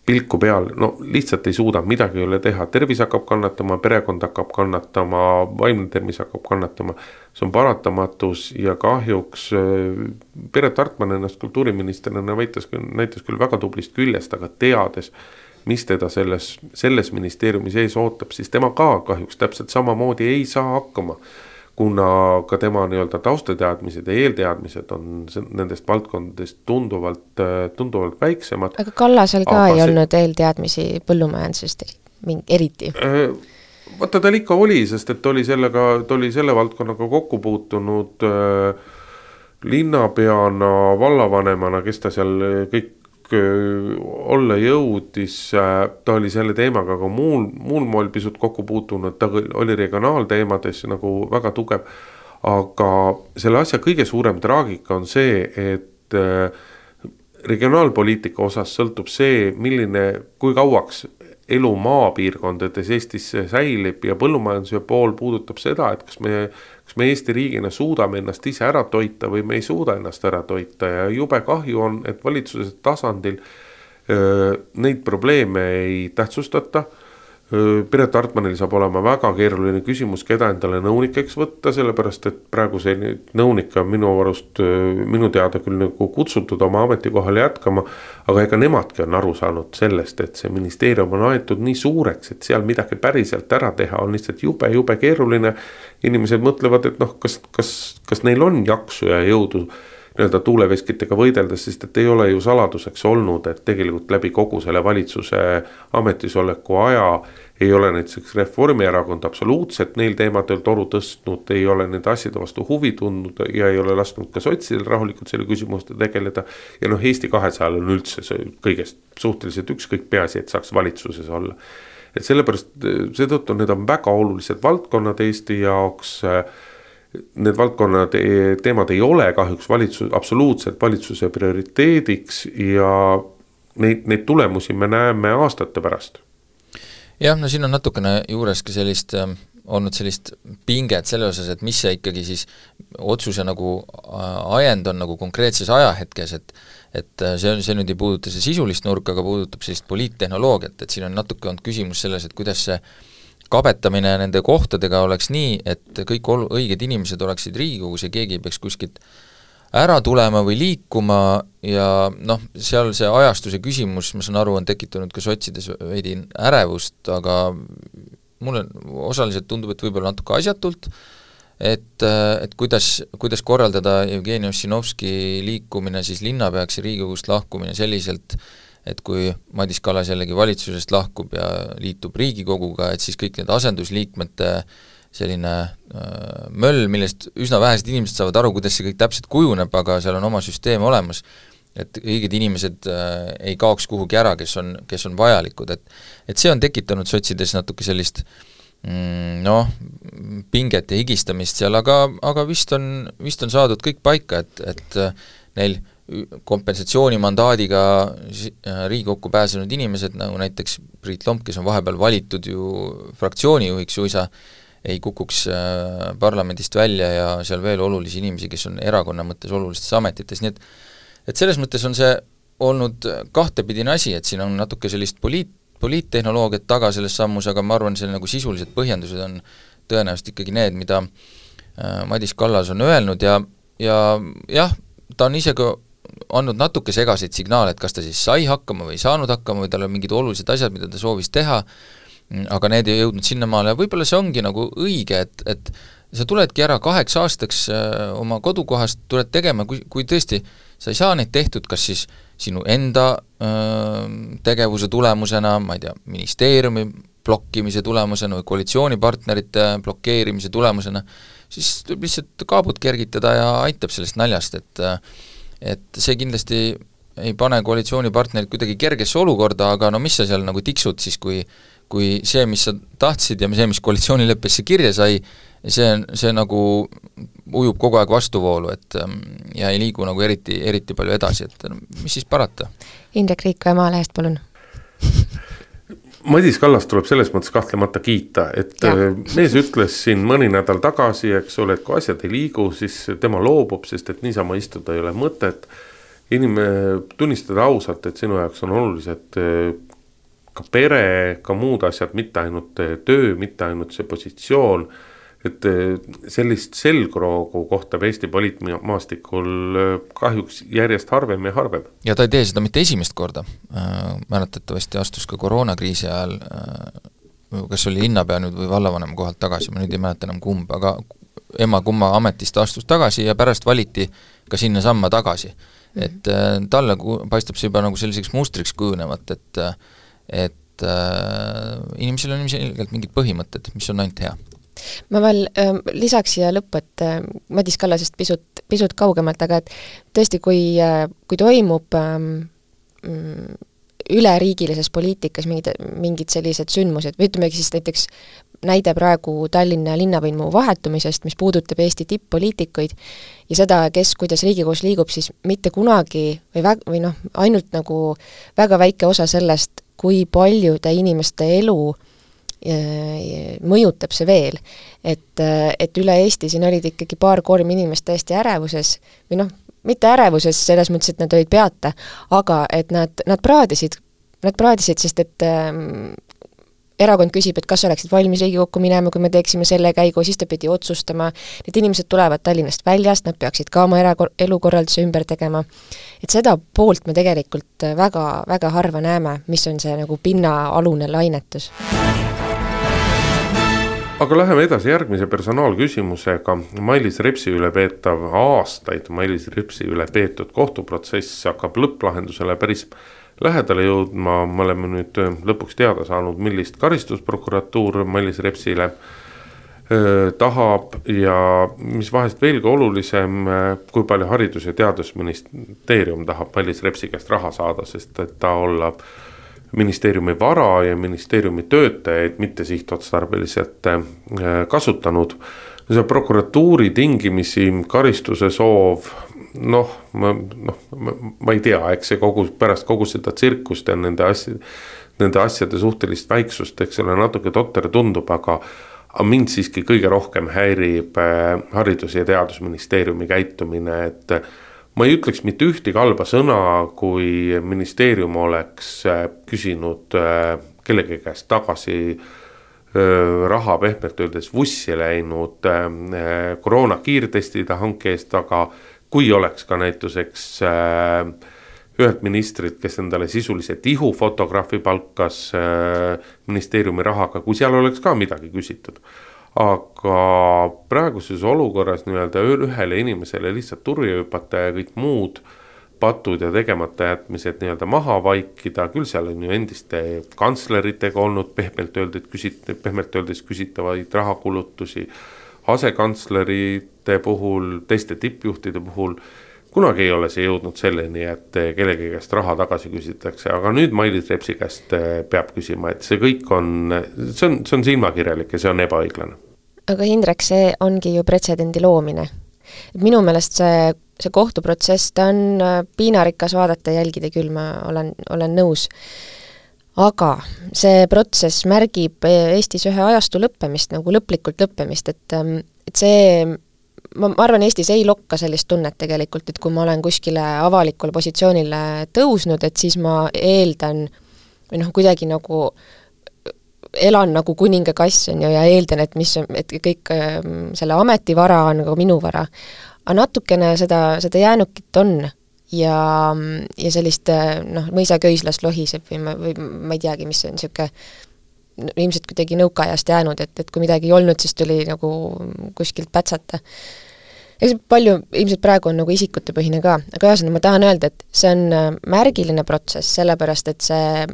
pilku peal, lihtsalt ei suuda, midagi ei ole teha, tervis hakkab kannatama, perekond hakkab kannatama, vaimne tervis hakkab kannatama, see on paratamatus ja kahjuks Piret Hartman ennast kultuuriministrina näitas küll väga tublist küljest, aga teades, mis teda selles ministeeriumis ees ootab, siis tema ka kahjuks täpselt samamoodi ei saa hakkama, kuna ka tema nii-öelda taustateadmised ja eelteadmised on nendest valdkondadest tunduvalt väiksemad. Aga Kallasel ka ei olnud eelteadmisi põllumajandusest eriti? Vaata tal ikka oli, sest et ta oli selle valdkonnaga kokku puutunud linnapeana, vallavanemana, kes ta seal kõik olla jõudis, ta oli selle teemaga ka muul moel pisut kokku puutunud, ta oli regionaalteemades nagu väga tugev, aga selle asja kõige suurem traagika on see, et regionaalpoliitika osas sõltub see, kui kauaks elu maapiirkondades Eestis säilib ja põllumajanduse pool puudutab seda, et kas me Eesti riigina suudame ennast ise ära toita või me ei suuda ennast ära toita ja jube kahju on, et valitsuse tasandil neid probleeme ei tähtsustata. Piret Hartmanil saab olema väga keeruline küsimus, keda endale nõunikeks võtta, sellepärast et praegu see nõunik on minu teada küll nagu kutsutud oma ametikohale jätkama, aga ega nemadki on aru saanud sellest, et see ministeerium on aetud nii suureks, et seal midagi päriselt ära teha on lihtsalt jube keeruline. Inimesed mõtlevad, et kas neil on jaksu ja jõudu nii-öelda tuuleveskitega võideldes, sest et ei ole ju saladuseks olnud, et tegelikult läbi kogu selle valitsuse ametisoleku aja ei ole näiteks Reformierakond absoluutselt neil teemadel toru tõstnud, ei ole nende asjade vastu huvi tundnud ja ei ole lasknud ka sotsidel rahulikult selle küsimuste tegeleda. Ja Eesti 200 on üldse kõigest suhteliselt ükskõik, peaasi, et saaks valitsuses olla. Et sellepärast seetõttu need on väga olulised valdkonnad Eesti jaoks. Need valdkonnad teemad ei ole kahjuks absoluutselt valitsuse prioriteediks ja neid tulemusi me näeme aastate pärast. Jah, no siin on natukene juures ka olnud sellist pinget selle osas, et mis see ikkagi siis otsuse nagu ajend on nagu konkreetses ajahetkes, et see nüüd ei puuduta see sisulist nurka, aga puudutab sellist poliittehnoloogiat, et siin on natuke olnud küsimus selles, et kuidas see kabetamine nende kohtadega oleks nii, et kõik õiged inimesed oleksid Riigikogus ja keegi ei peaks kuskilt ära tulema või liikuma ja seal see ajastuse küsimus, ma saan aru, on tekitanud ka sotsides veidi ärevust, aga mulle osaliselt tundub, et võib-olla natuke asjatult, et kuidas korraldada Jevgeni Ossinovski liikumine siis linnapeaks ja Riigikogust lahkumine selliselt, et kui Madis Kallas jällegi valitsusest lahkub ja liitub Riigikoguga, et siis kõik need asendusliikmete selline möll, millest üsna vähesed inimesed saavad aru, kuidas see kõik täpselt kujuneb, aga seal on oma süsteem olemas, et õiged inimesed ei kaoks kuhugi ära, kes on vajalikud, et see on tekitanud sotsides natuke sellist pinget ja higistamist seal, aga vist on saadud kõik paika, et neil kompensatsioonimandaadiga Riigikokku pääsenud inimesed, nagu näiteks Priit Lomp, kes on vahepeal valitud ju fraktsioonijuhiks suisa, ei kukuks parlamendist välja ja seal veel olulisi inimesi, kes on erakonna mõttes olulistes ametites, nii et selles mõttes on see olnud kahtepidine asi, et siin on natuke sellist poliittehnoloogiat taga selles sammus, aga ma arvan, see nagu sisulised põhjendused on tõenäoliselt ikkagi need, mida Madis Kallas on öelnud ja jah, ta on ise ka andnud natuke segaseid signaale, et kas ta siis sai hakkama või ei saanud hakkama või tal on mingid olulised asjad, mida ta soovis teha, aga need ei jõudnud sinnamaale ja võib-olla see ongi nagu õige, et sa tuledki ära 8 aastaks oma kodukohast, tuled tegema, kui tõesti sa ei saa neid tehtud, kas siis sinu enda tegevuse tulemusena, ma ei tea, ministeeriumi blokkimise tulemusena või koalitsioonipartnerite blokeerimise tulemusena, siis tuleb lihtsalt kaabut kergitada ja aitab sellest naljast, et see kindlasti ei pane koalitsioonipartnerid kuidagi kergesse olukorda, aga mis sa seal nagu tiksud siis, kui see, mis sa tahtsid ja see, mis koalitsioonileppesse kirja sai, see nagu ujub kogu aeg vastuvoolu, ja ei liigu nagu eriti palju edasi, et mis siis parata? Indrek Riikoja Maalehest, palun. Madis Kallas tuleb selles mõttes kahtlemata kiita, et mees ütles siin mõni nädal tagasi, eks ole, et kui asjad ei liigu, siis tema loobub, sest et niisama istuda ei ole mõtet. Tunnistada ausalt, et sinu jaoks on olulised ka pere, ka muud asjad, mitte ainult töö, mitte ainult see positsioon, et sellist selgroogu kohtab Eesti poliitmaastikul kahjuks järjest harvem ja harvem. Ja ta ei tee seda mitte esimest korda, mäletatavasti astus ka koroonakriisi ajal, kas oli linnapea nüüd või vallavanema kohalt tagasi, ma nüüd ei mäleta enam kumb, aga kumma ametist astus tagasi ja pärast valiti ka sinna samma tagasi. Et talle paistab see juba nagu selliseks mustriks kujunevat, et inimesel on ilmselgelt mingid põhimõtted, mis on ainult hea. Ma veel lisaks siia lõppu, et Madis Kallasest pisut kaugemalt, aga et tõesti, kui toimub üleriigilises poliitikas mingid sellised sündmused, või ütleme siis näiteks näide praegu Tallinna linnavõimu vahetumisest, mis puudutab Eesti tipp-poliitikuid ja seda, kes kuidas Riigikogus liigub, siis mitte kunagi või ainult nagu väga väike osa sellest, kui paljude inimeste elu mõjutab see veel, et üle Eesti siin olid ikkagi 2-3 inimest täiesti ärevuses või mitte ärevuses selles mõttes, et nad olid peata, aga et nad praadisid, sest et erakond küsib, et kas oleksid valmis Riigikokku minema, kui me teeksime selle käigu, siis ta pidi otsustama, need inimesed tulevad Tallinnast väljast, nad peaksid ka oma elukorralduse ümber tegema. Et seda poolt me tegelikult väga, väga harva näeme, mis on see nagu pinnaalune lainetus. Aga läheme edasi järgmise personaalküsimusega. Mailis Repsi üle peetav aastaid, Mailis Repsi üle peetud kohtuprotsess hakkab lõpplahendusele päris lähedale jõudma. Me oleme nüüd lõpuks teada saanud, millist karistusprokuratuur Mailis Repsile tahab ja mis vahest veelgi olulisem, kui palju Haridus- ja Teadusministeerium tahab Mailis Repsi käest raha saada, sest et ta olla ministeeriumi vara ja ministeeriumi töötajaid mitte sihtotstarbeliselt kasutanud. See prokuratuuri tingimisi karistuse soov, ma ei tea, eks see pärast kogu seda tsirkust ja nende asjade suhtelist väiksust, eks selle natuke totter tundub, aga mind siiski kõige rohkem häirib Haridus- ja Teadusministeeriumi käitumine, et ma ei ütleks mitte ühtegi halba sõna, kui ministeerium oleks küsinud kellegi käest tagasi raha pehmelt öeldes vussi läinud koroona kiirtestide hanke eest, aga kui oleks ka näituseks ühelt ministrit, kes endale sisulise tihufotograafi palkas ministeeriumi rahaga, kui seal oleks ka midagi küsitud. Aga praeguses olukorras ühele inimesele lihtsalt turja hüpata ja kõik muud patud ja tegemata jätmised maha vaikida, küll seal on ju endiste kantsleritega olnud pehmelt öeldes küsitavaid rahakulutusi, asekantslerite puhul, teiste tippjuhtide puhul, kunagi ei ole see jõudnud selleni, et kellegi käest raha tagasi küsitakse, aga nüüd Mailis Repsi käest peab küsima, et see kõik on silmakirjalik ja see on ebaõiglane. Aga Hindrek, see ongi ju pretsedendi loomine. Minu meelest see kohtuprotsess, ta on piinarikas vaadata ja jälgida küll, ma olen nõus. Aga see protsess märgib Eestis ühe ajastu lõppemist, nagu lõplikult lõppemist, et see, ma arvan, Eestis ei lokka sellist tunnet tegelikult, et kui ma olen kuskile avalikule positsioonile tõusnud, et siis ma eeldan või kuidagi nagu elan nagu kuninga kass on ju ja eeldan, et kõik selle ametivara on nagu minu vara. Aga natukene seda jäänukit on ja sellist mõisaköislast lohiseb või ma ei teagi, mis on niisugune ilmselt kuidagi nõukaajast jäänud, et kui midagi ei olnud, siis tuli nagu kuskilt pätsata. Eks palju ilmselt praegu on nagu isikutepõhine ka, aga ühesõnaga ma tahan öelda, et see on märgiline protsess, sellepärast et see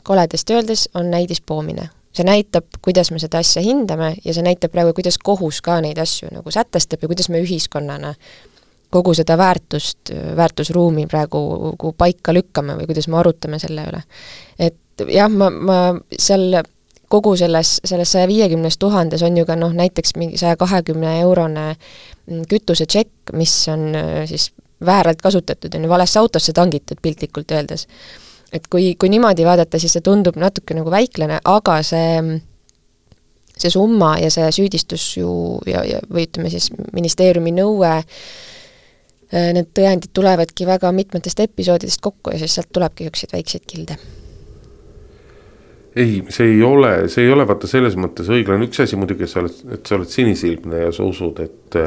koledast öeldes on näidispoomine. See näitab, kuidas me seda asja hindame ja see näitab praegu, kuidas kohus ka neid asju nagu sätestab ja kuidas me ühiskonnana kogu seda väärtusruumi praegu paika lükkame või kuidas me arutame selle üle. Et jah, ma seal kogu selles 150 000 on ju ka näiteks mingi 120 eurone kütusetšekk, mis on siis vääralt kasutatud, on ju valesse autosse tangitud piltlikult öeldes. Et kui niimoodi vaadata, siis see tundub natuke nagu väiklane, aga see summa ja see süüdistus ju või ütleme siis ministeeriumi nõue, need tõendid tulevadki väga mitmetest episoodidest kokku ja siis sealt tulebki üksid väikseid kilde. ei, see ei ole vaata selles mõttes õiglane, üks asi muidugi, et sa oled sinisilmne ja sa usud, et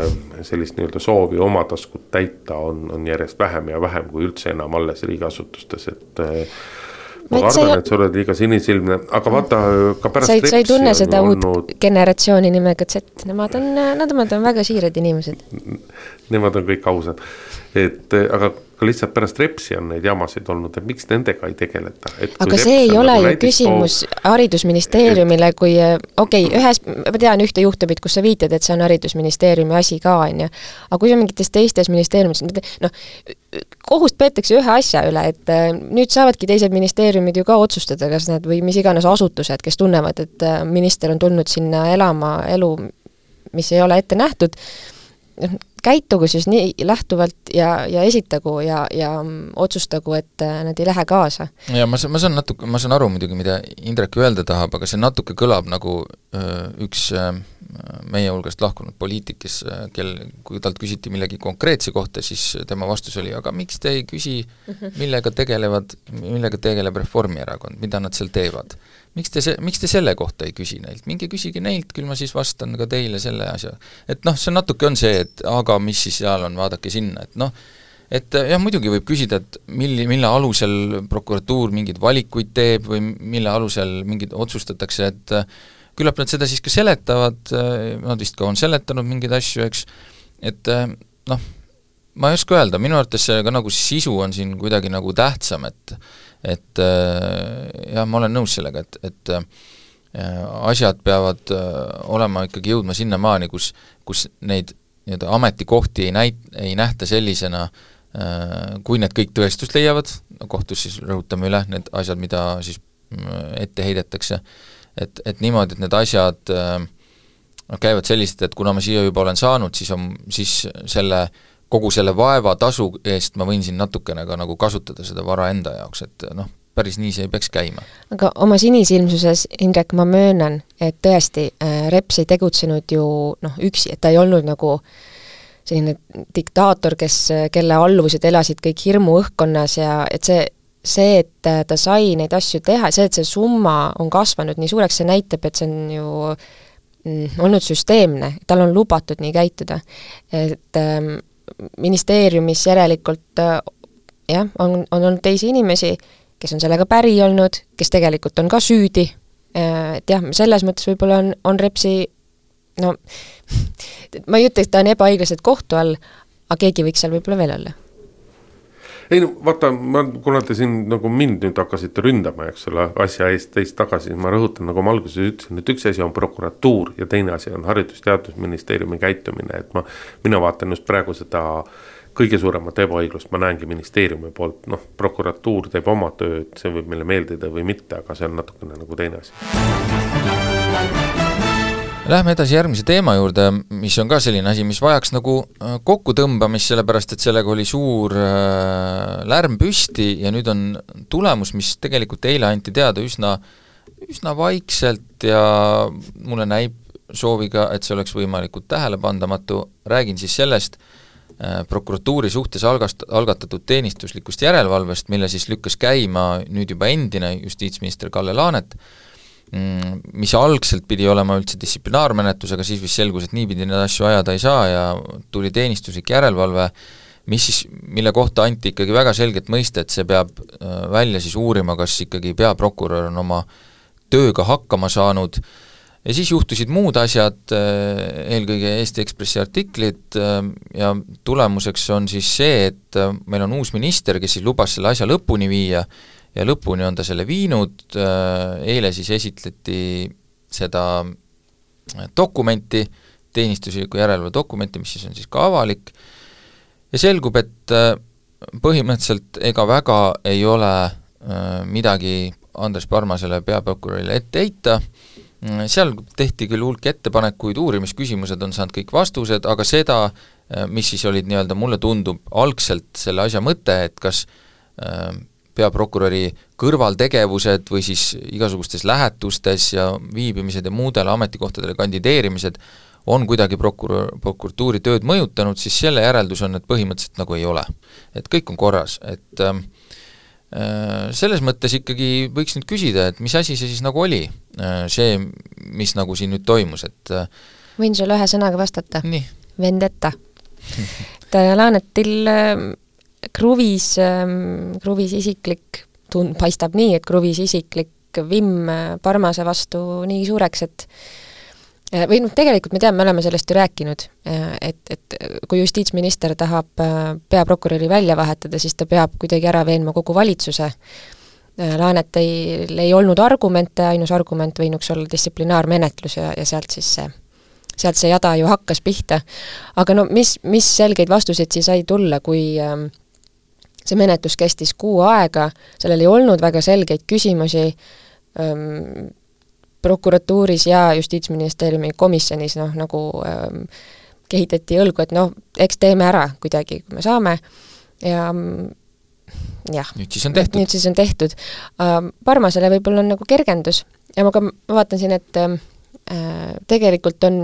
sellist nii-öelda soovi oma taskut täita on järjest vähem ja vähem kui üldse enam alles riigiasutustes, et ma arvan, et sa oled liiga sinisilmne, aga vaata ka pärast sa ei tunne seda uut generatsiooni nimega Z, nemad on väga siirad inimesed. Nemad on kõik ausad, aga ka lihtsalt pärast Repsi on neid jamasid olnud, et miks nendega ei tegeleta. Aga see ei ole ju küsimus haridusministeeriumile, kui ma tean ühte juhtumit, kus sa viitad, et see on haridusministeeriumi asi ka, on ju. Aga kui on mingites teistes ministeeriumis, kohust peetakse ühe asja üle, et nüüd saavadki teised ministeeriumid ju ka otsustada, kas need või mis iganes asutused, kes tunnevad, et minister on tulnud sinna elama elu, mis ei ole ette nähtud, käitugu siis nii lähtuvalt ja esitagu ja otsustagu, et nad ei lähe kaasa. Ja ma saan aru muidugi, mida Indrek öelda tahab, aga see natuke kõlab nagu üks meie hulgast lahkunud poliitik, kui talt küsiti millegi konkreetse kohta, siis tema vastus oli, aga miks te ei küsi, millega tegeleb Reformierakond, mida nad seal teevad? Miks te selle kohta ei küsi neilt? Minge küsige neilt, küll ma siis vastan ka teile selle asja. Et see natuke on see, et aga mis siis seal on, vaadake sinna, et jah, muidugi võib küsida, et mille alusel prokuratuur mingeid valikuid teeb või mille alusel mingid otsustatakse, et küllap nad seda siis ka seletavad, nad vist ka on seletanud mingeid asju, eks, et ma ei oska öelda, minu arvates see ka nagu sisu on siin kuidagi nagu tähtsam, et jah, ma olen nõus sellega, et asjad peavad olema ikkagi jõudma sinnamaani, kus neid ametikohti ei nähta sellisena, kui need kõik tõestust leiavad, kohtus siis rõhutame üle need asjad, mida siis ette heidetakse, et niimoodi, et need asjad käivad sellised, et kuna ma siia juba olen saanud, siis kogu selle vaeva tasu eest ma võin siin natukene ka nagu kasutada seda vara enda jaoks, et päris nii see ei peaks käima. Aga oma sinisilmsuses, Indrek, ma möönan, et tõesti Reps ei tegutsenud ju üksi, et ta ei olnud nagu selline diktaator, kelle alluvused elasid kõik hirmu õhkkonnas ja et see, et ta sai neid asju teha, see, et see summa on kasvanud nii suureks, see näitab, et see on ju olnud süsteemne, tal on lubatud nii käituda. Et ministeeriumis järelikult on olnud teisi inimesi, kes on sellega päri olnud, kes tegelikult on ka süüdi, et jah, selles mõttes võib-olla on Repsi, ma ei ütle, et ta on ebaõiglaselt kohtu all, aga keegi võiks seal võib-olla veel olla. Ei vaata, kuna te siin nagu mind nüüd hakkasite ründama, eks selle asja eest teist tagasi, ma rõhutan, nagu ma alguses ütlesin, et üks asi on prokuratuur ja teine asi on Haridus-Teadusministeeriumi käitumine, et mina vaatan just praegu seda kõige suuremat ebaõiglust, ma näengi ministeeriumi poolt, prokuratuur teeb oma tööd, see võib meile meeldida või mitte, aga see on natukene nagu teine asi. Lähme edasi järgmise teema juurde, mis on ka selline asi, mis vajaks nagu kokkutõmbamist, sellepärast et sellega oli suur lärm püsti ja nüüd on tulemus, mis tegelikult eile anti teada üsna vaikselt ja mulle näib sooviga, et see oleks võimalikult tähelepandamatu. Räägin siis sellest prokuratuuri suhtes algatatud teenistuslikust järelevalvest, mille siis lükkas käima nüüd juba endine justiitsminister Kalle Laanet, mis algselt pidi olema üldse distsiplinaarmenetlus, aga siis vist selgus, et niipidi need asju ajada ei saa ja tuli teenistuslik järelevalve, mille kohta anti ikkagi väga selget mõista, et see peab välja siis uurima, kas ikkagi peaprokurör on oma tööga hakkama saanud ja siis juhtusid muud asjad, eelkõige Eesti Ekspressi artiklid ja tulemuseks on siis see, et meil on uus minister, kes siis lubas selle asja lõpuni viia ja lõpuni on ta selle viinud, eile siis esitleti seda dokumenti, teenistusliku järelevalve dokumenti, mis siis on siis ka avalik ja selgub, et põhimõtteliselt ega väga ei ole midagi Andres Parmasele peaprokurörile ette heita, seal tehti küll hulk ettepanekuid, uurimisküsimused on saanud kõik vastused, aga seda, mis siis olid nii-öelda, mulle tundub algselt selle asja mõte, et kas peaprokuröri kõrvaltegevused või siis igasugustes lähetustes ja viibimised ja muudele ametikohtadele kandideerimised on kuidagi prokuratuuri tööd mõjutanud, siis selle järeldus on, et põhimõtteliselt nagu ei ole. Et kõik on korras, et selles mõttes ikkagi võiks nüüd küsida, et mis asi see siis nagu oli, see, mis nagu siin nüüd toimus, et võin sulle ühe sõnaga vastata? Nii. Vendetta. Laanetil kruvis isiklik, paistab nii, et kruvis isiklik vimm Parmase vastu nii suureks, et või tegelikult me teame, me oleme sellest ju rääkinud, et kui justiitsminister tahab peaprokuröri välja vahetada, siis ta peab kuidagi ära veenma kogu valitsuse. Laanetil ei olnud argumente, ainus argument võinuks olla distsiplinaarmenetlus ja sealt see jada ju hakkas pihta. Aga no mis selgeid vastuseid siis sai tulla, kui see menetlus kestis 6 aega, sellel ei olnud väga selgeid küsimusi, prokuratuuris ja Justiitsministeeriumi komisjonis nagu kehitati õlgu, et eks teeme ära kuidagi, kui me saame ja jah, nüüd siis on tehtud. Parmasele võib-olla on nagu kergendus ja ma vaatan siin, et tegelikult on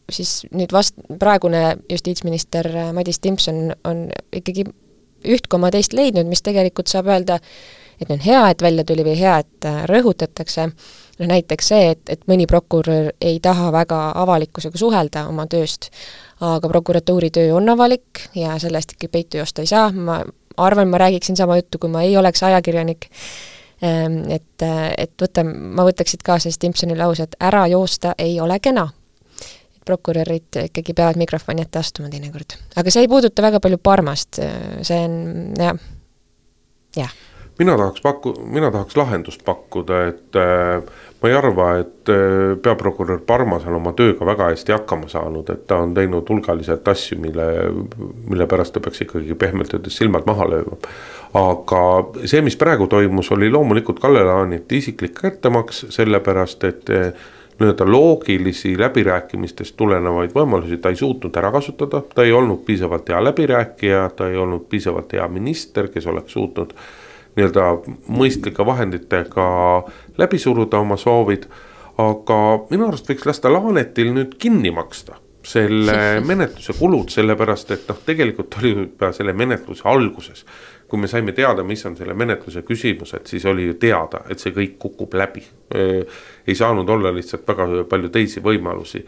siis nüüd praegune justiitsminister Madis Timpson on ikkagi 1,2 leidnud, mis tegelikult saab öelda, et on hea, et välja tuli või hea, et rõhutatakse. Näiteks see, et mõni prokurör ei taha väga avalikkusega suhelda oma tööst, aga prokuratuuri töö on avalik ja sellest ikka peitu joosta ei saa. Ma arvan, ma räägiksin sama juttu, kui ma ei oleks ajakirjanik. Ma võtaksid kaasa Timpsoni lause, et ära joosta ei ole kena. Prokurörid ikkagi peavad mikrofoni ette astuma teinekord. Aga see ei puuduta väga palju Parmast. See on, jah. Mina tahaks lahendust pakkuda, et ma ei arva, et peaprokurör Parmasel oma tööga väga hästi hakkama saanud, et ta on teinud hulgaliselt asju, mille pärast ta peaks ikkagi pehmelt öeldes silmad maha lööma. Aga see, mis praegu toimus, oli loomulikult Kalle Laaneti isiklik kättemaks, sellepärast, et loogilisi läbirääkimistest tulenevaid võimalusi ta ei suutnud ära kasutada, ta ei olnud piisavalt hea läbirääkija, ta ei olnud piisavalt hea minister, kes oleks suutnud mõistlike vahenditega läbi suruda oma soovid, aga minu arust võiks lasta Laanetil nüüd kinni maksta selle menetluse kulud, sellepärast, et tegelikult oli juba selle menetluse alguses. Kui me saime teada, mis on selle menetluse küsimused, siis oli ju teada, et see kõik kukub läbi. Ei saanud olla lihtsalt väga palju teisi võimalusi.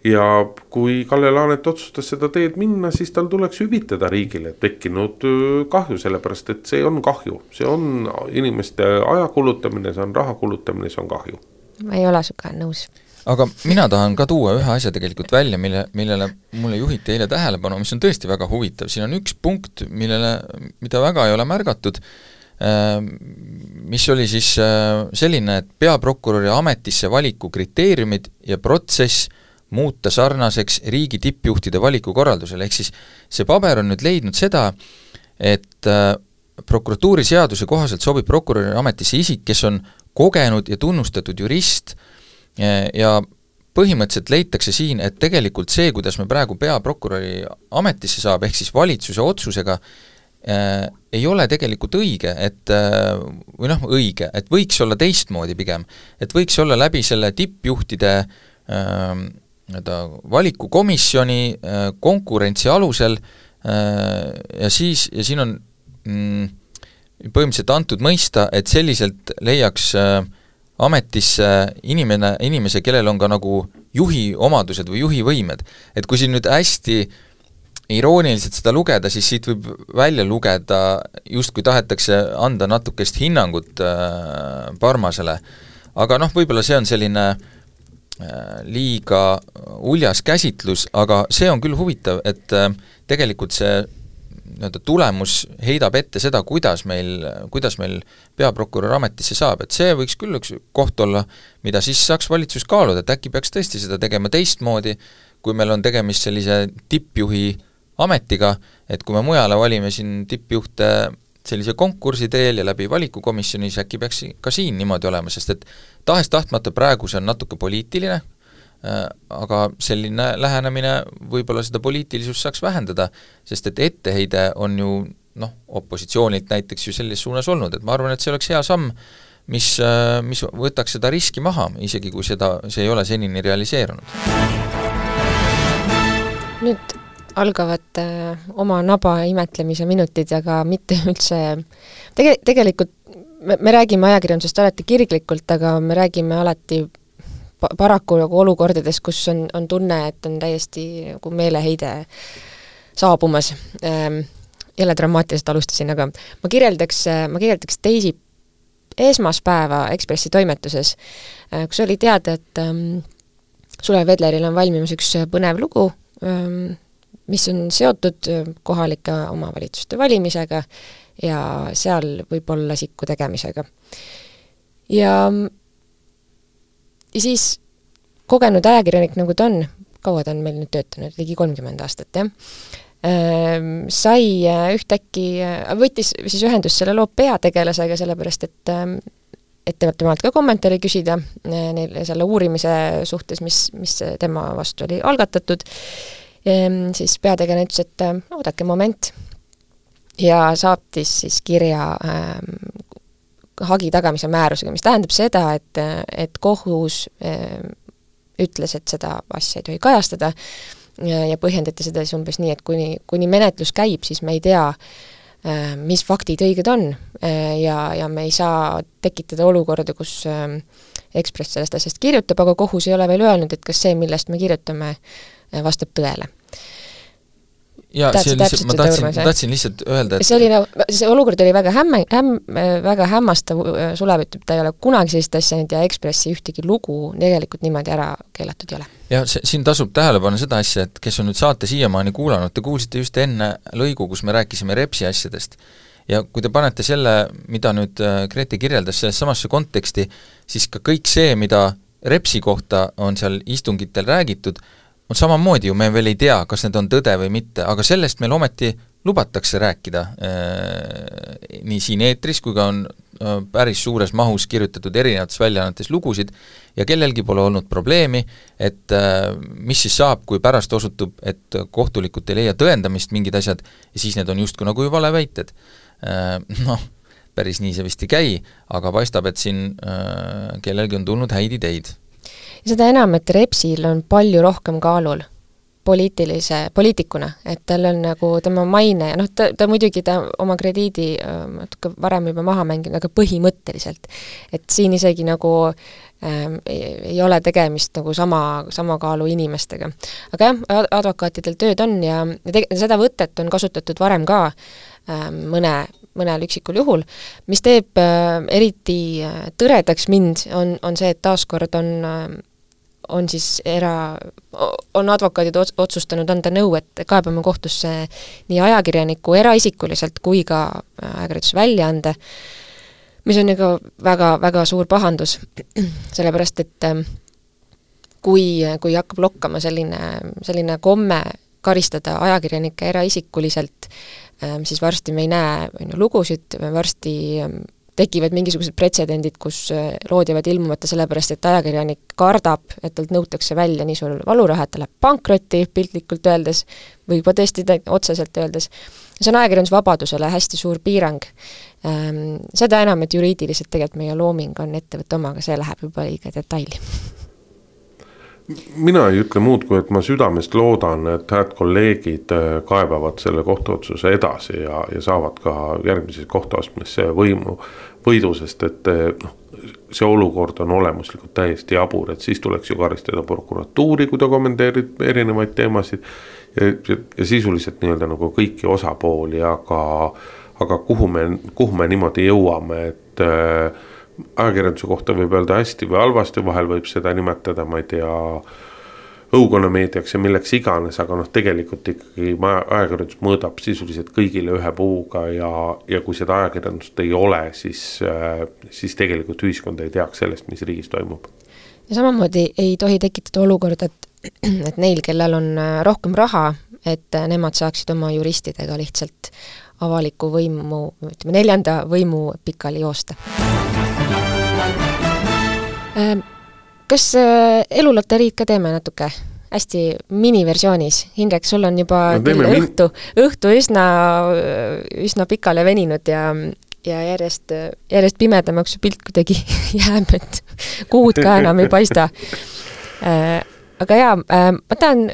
Ja kui Kalle Laanet otsustas seda teed minna, siis tal tuleks hüvitada riigile tekkinud kahju, sellepärast, et see on kahju. See on inimeste aja kulutamine, see on raha kulutamine, see on kahju. Ma ei ole suga nõus. Aga mina tahan ka tuua ühe asja tegelikult välja, millele mulle juhiti eile tähelepanu, mis on tõesti väga huvitav. Siin on üks punkt, mida väga ei ole märgatud, mis oli siis selline, et peaprokuröri ametisse valiku kriteeriumid ja protsess muuta sarnaseks riigi tippjuhtide valikukorraldusele, ehk siis see paber on nüüd leidnud seda, et prokuratuuri seaduse kohaselt sobib prokuröri ametisse isik, kes on kogenud ja tunnustatud jurist ja põhimõtteliselt leitakse siin, et tegelikult see, kuidas me praegu peaprokuröri ametisse saab, ehk siis valitsuse otsusega, ei ole tegelikult õige, õige, et võiks olla teistmoodi pigem, et võiks olla läbi selle tippjuhtide valikukomisjoni konkurentsi alusel ja siin on põhimõtteliselt antud mõista, et selliselt leiaks ametisse inimese, kellel on ka nagu juhi omadused või juhi võimed. Et kui siin nüüd hästi irooniliselt seda lugeda, siis siit võib välja lugeda, just kui tahetakse anda natukest hinnangut Parmasele, aga võib-olla see on selline liiga uljas käsitlus, aga see on küll huvitav, et tegelikult see tulemus heidab ette seda, kuidas meil peaprokurör ametisse saab, et see võiks küll üks koht olla, mida siis saaks valitsus kaaluda, et äkki peaks tõesti seda tegema teistmoodi, kui meil on tegemist sellise tippjuhi ametiga, et kui me mujale valime siin tippjuhte sellise konkursi teel ja läbi valikukomisjonis, äkki peaks ka siin niimoodi olema, sest et tahes-tahtmata praegu see on natuke poliitiline, aga selline lähenemine võib-olla seda poliitilisust saaks vähendada, sest et etteheide on ju opositsioonilt näiteks ju selles suunas olnud, et ma arvan, et see oleks hea samm, mis võtaks seda riski maha, isegi kui see ei ole senini realiseerunud. Nüüd algavad oma naba imetlemise minutid, aga mitte üldse tegelikult me räägime ajakirjandusest alati kirglikult, aga me räägime alati paraku nagu olukordades, kus on tunne, et on täiesti nagu meeleheide saabumas. Jälle dramaatiliselt alustasin, aga ma kirjeldaks esmaspäeva Ekspressi toimetuses, kus oli teada, et Sulev Vedleril on valmimas üks põnev lugu, mis on seotud kohalike omavalitsuste valimisega ja seal võib-olla sikku tegemisega. Ja siis kogenud ajakirjanik, nagu ta on, kaua ta on meil nüüd töötanud, ligi 30 aastat, jah? Sai ühtäkki, võttis siis ühendust selle loo peategelasega, sellepärast et temalt ka kommentaari küsida neile selle uurimise suhtes, mis tema vastu oli algatatud. Siis peategelane ütles, et oodake moment ja saatis siis kirja hagi tagamise määrusega, mis tähendab seda, et kohus ütles, et seda asja ei tohi kajastada ja põhjendati seda siis umbes nii, et kuni menetlus käib, siis me ei tea, mis faktid õiged on ja me ei saa tekitada olukorda, kus Ekspress sellest asjast kirjutab, aga kohus ei ole veel öelnud, et kas see, millest me kirjutame, vastab tõele. Ja ma tahtsin lihtsalt öelda, et see olukord oli väga hämmastav, Sulev ütleb, ta ei ole kunagi sellist asja nüüd ja Ekspressi ühtegi lugu tegelikult niimoodi ära keelatud ei ole. Ja siin tasub tähelepanu seda asja, et kes on nüüd saate siiamaani kuulanud, te kuulsite just enne lõigu, kus me rääkisime Repsi asjadest. Ja kui te panete selle, mida nüüd Grete kirjeldas selles samasse konteksti, siis ka kõik see, mida Repsi kohta on seal istungitel räägitud, on samamoodi ju, me veel ei tea, kas need on tõde või mitte, aga sellest meil ometi lubatakse rääkida nii siin eetris, kui ka on päris suures mahus kirjutatud erinevates väljaannetes lugusid ja kellelgi pole olnud probleemi, et mis siis saab, kui pärast osutub, et kohtulikult ei leia tõendamist mingid asjad ja siis need on justkui nagu ju valeväited. Päris nii see vist ei käi, aga paistab, et siin kellelgi on tulnud häid ideid. Ja seda enam, et Repsil on palju rohkem kaalul poliitikuna, et tal on nagu tema maine ja ta muidugi oma krediidi varem juba maha mänginud, aga põhimõtteliselt. Et siin isegi nagu ei ole tegemist nagu sama kaalu inimestega. Aga jah, advokaatidel tööd on ja seda võtet on kasutatud varem ka mõnel üksikul juhul, mis teeb eriti tõredaks mind, on see, et taaskord on siis on advokaadid otsustanud anda nõu, et kaebame kohtusse nii ajakirjaniku eraisikuliselt kui ka ajakirjanduse väljaande, mis on nagu väga, väga suur pahandus, sellepärast, et kui hakkab lokkama selline komme karistada ajakirjanikke eraisikuliselt, siis varsti me ei näe lugusid, varsti tekivad mingisugused pretsedendid, kus lood jäävad ilmumata sellepärast, et ajakirjanik kardab, et talt nõutakse välja nii suur valuraha, et ta läheb pankrotti piltlikult öeldes või juba tõesti otseselt öeldes. See on ajakirjandusvabadusele hästi suur piirang. Seda enam, et juriidiliselt tegelikult meie looming on ettevõtte oma, aga see läheb juba liiga detaili. Mina ei ütle muud, kui et ma südamest loodan, et hääd kolleegid kaebavad selle kohtuotsuse edasi ja saavad ka järgmises kohtuastmes võidu, sest et see olukord on olemuslikult täiesti jabur, et siis tuleks ju karistada prokuratuuri, kui ta kommenteerib erinevaid teemasid ja sisuliselt nii-öelda nagu kõiki osapooli, aga kuhu me niimoodi jõuame, et ajakirjanduse kohta võib öelda hästi või halvasti, vahel võib seda nimetada, ma ei tea, õukonnameediaks ja milleks iganes, aga tegelikult ikkagi ajakirjandus mõõdab sisuliselt kõigile ühe puuga ja kui seda ajakirjandust ei ole, siis tegelikult ühiskond ei teaks sellest, mis riigis toimub. Ja samamoodi ei tohi tekitada olukord, et neil, kellel on rohkem raha, et nemad saaksid oma juristidega lihtsalt avaliku võimu, ütleme 4. võimu pikali joosta. Kas eluloteriid ka teeme natuke? Hästi miniversioonis. Hindrek, sul on juba õhtu üsna pikale veninud ja järjest pimedamaks pilt kuidagi jääb, et kuud ka enam ei paista. Aga jaa, ma tahan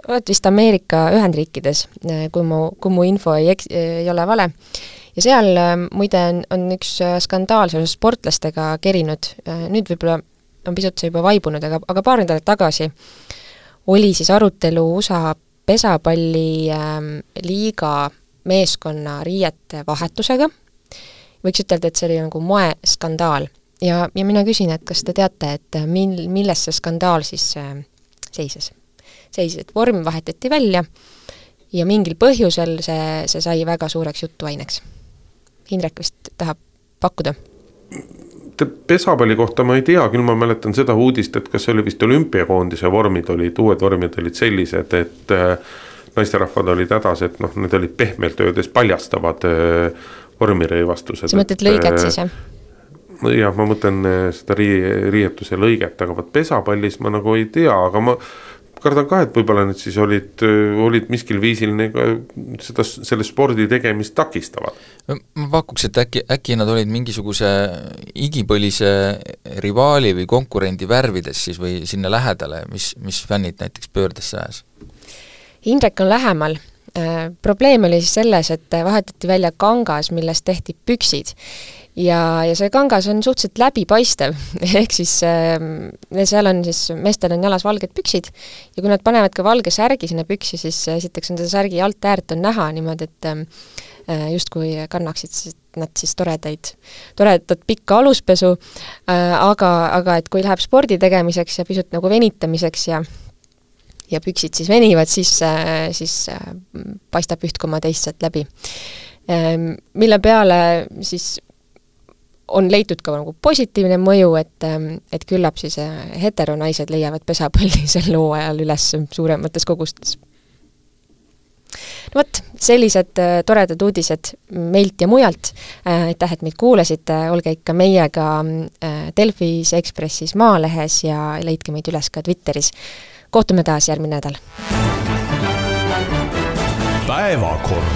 oled vist Ameerika Ühendriikides, kui mu info ei ole vale. Ja seal muide on üks skandaal seoses sportlastega kerinud, nüüd võib-olla on pisut see juba vaibunud, aga paar nädalat tagasi oli siis arutelu USA pesapalli liiga meeskonna riiete vahetusega. Võiks ütelda, et see oli nagu moeskandaal. Ja mina küsin, et kas te teate, et milles see skandaal siis seises, et vorm vahetati välja ja mingil põhjusel see sai väga suureks jutuaineks. Indrek vist tahab pakkuda. Pesapalli kohta ma ei tea, küll ma mäletan seda uudist, et kas see oli vist olümpiakoondise vormid uued vormid olid sellised, et naisterahvad olid hädas, et need olid pehmelt öeldes paljastavad vormirõivastused. Sa mõtled lõiget siis, jah? Jah, ma mõtlen seda riietuse lõiget, aga pesapallis ma nagu ei tea, aga ma kardan ka, et võib-olla need siis olid miskil viisil selle spordi tegemist takistavad. Ma pakuks, et äkki nad olid mingisuguse igipõlise rivaali või konkurendi värvides siis või sinna lähedale, mis fännid näiteks pöördesse ajas? Indrek on lähemal. Probleem oli siis selles, et vahetati välja kangas, millest tehti püksid. Ja see kangas on suhteliselt läbipaistev, ehk siis seal on siis, meestel on jalas valged püksid ja kui nad panevad ka valge särgi sinna püksi, siis esiteks on seda särgi alt äärt on näha niimoodi, et justkui kannaksid nad siis toredat pikka aluspesu, aga et kui läheb spordi tegemiseks ja pisut nagu venitamiseks ja püksid siis venivad, siis paistab üht koma teist sealt läbi. Mille peale siis on leitud ka nagu positiivne mõju, et küllap siis heteronaised leiavad pesapalli sel hooajal üles suuremates kogustes. No võt, sellised toredad uudised meilt ja mujalt. Aitäh, et meid kuulasite, olge ikka meiega Delfis, Ekspressis, Maalehes ja leidke meid üles ka Twitteris. Kohtume taas järgmine nädal. Päevakord.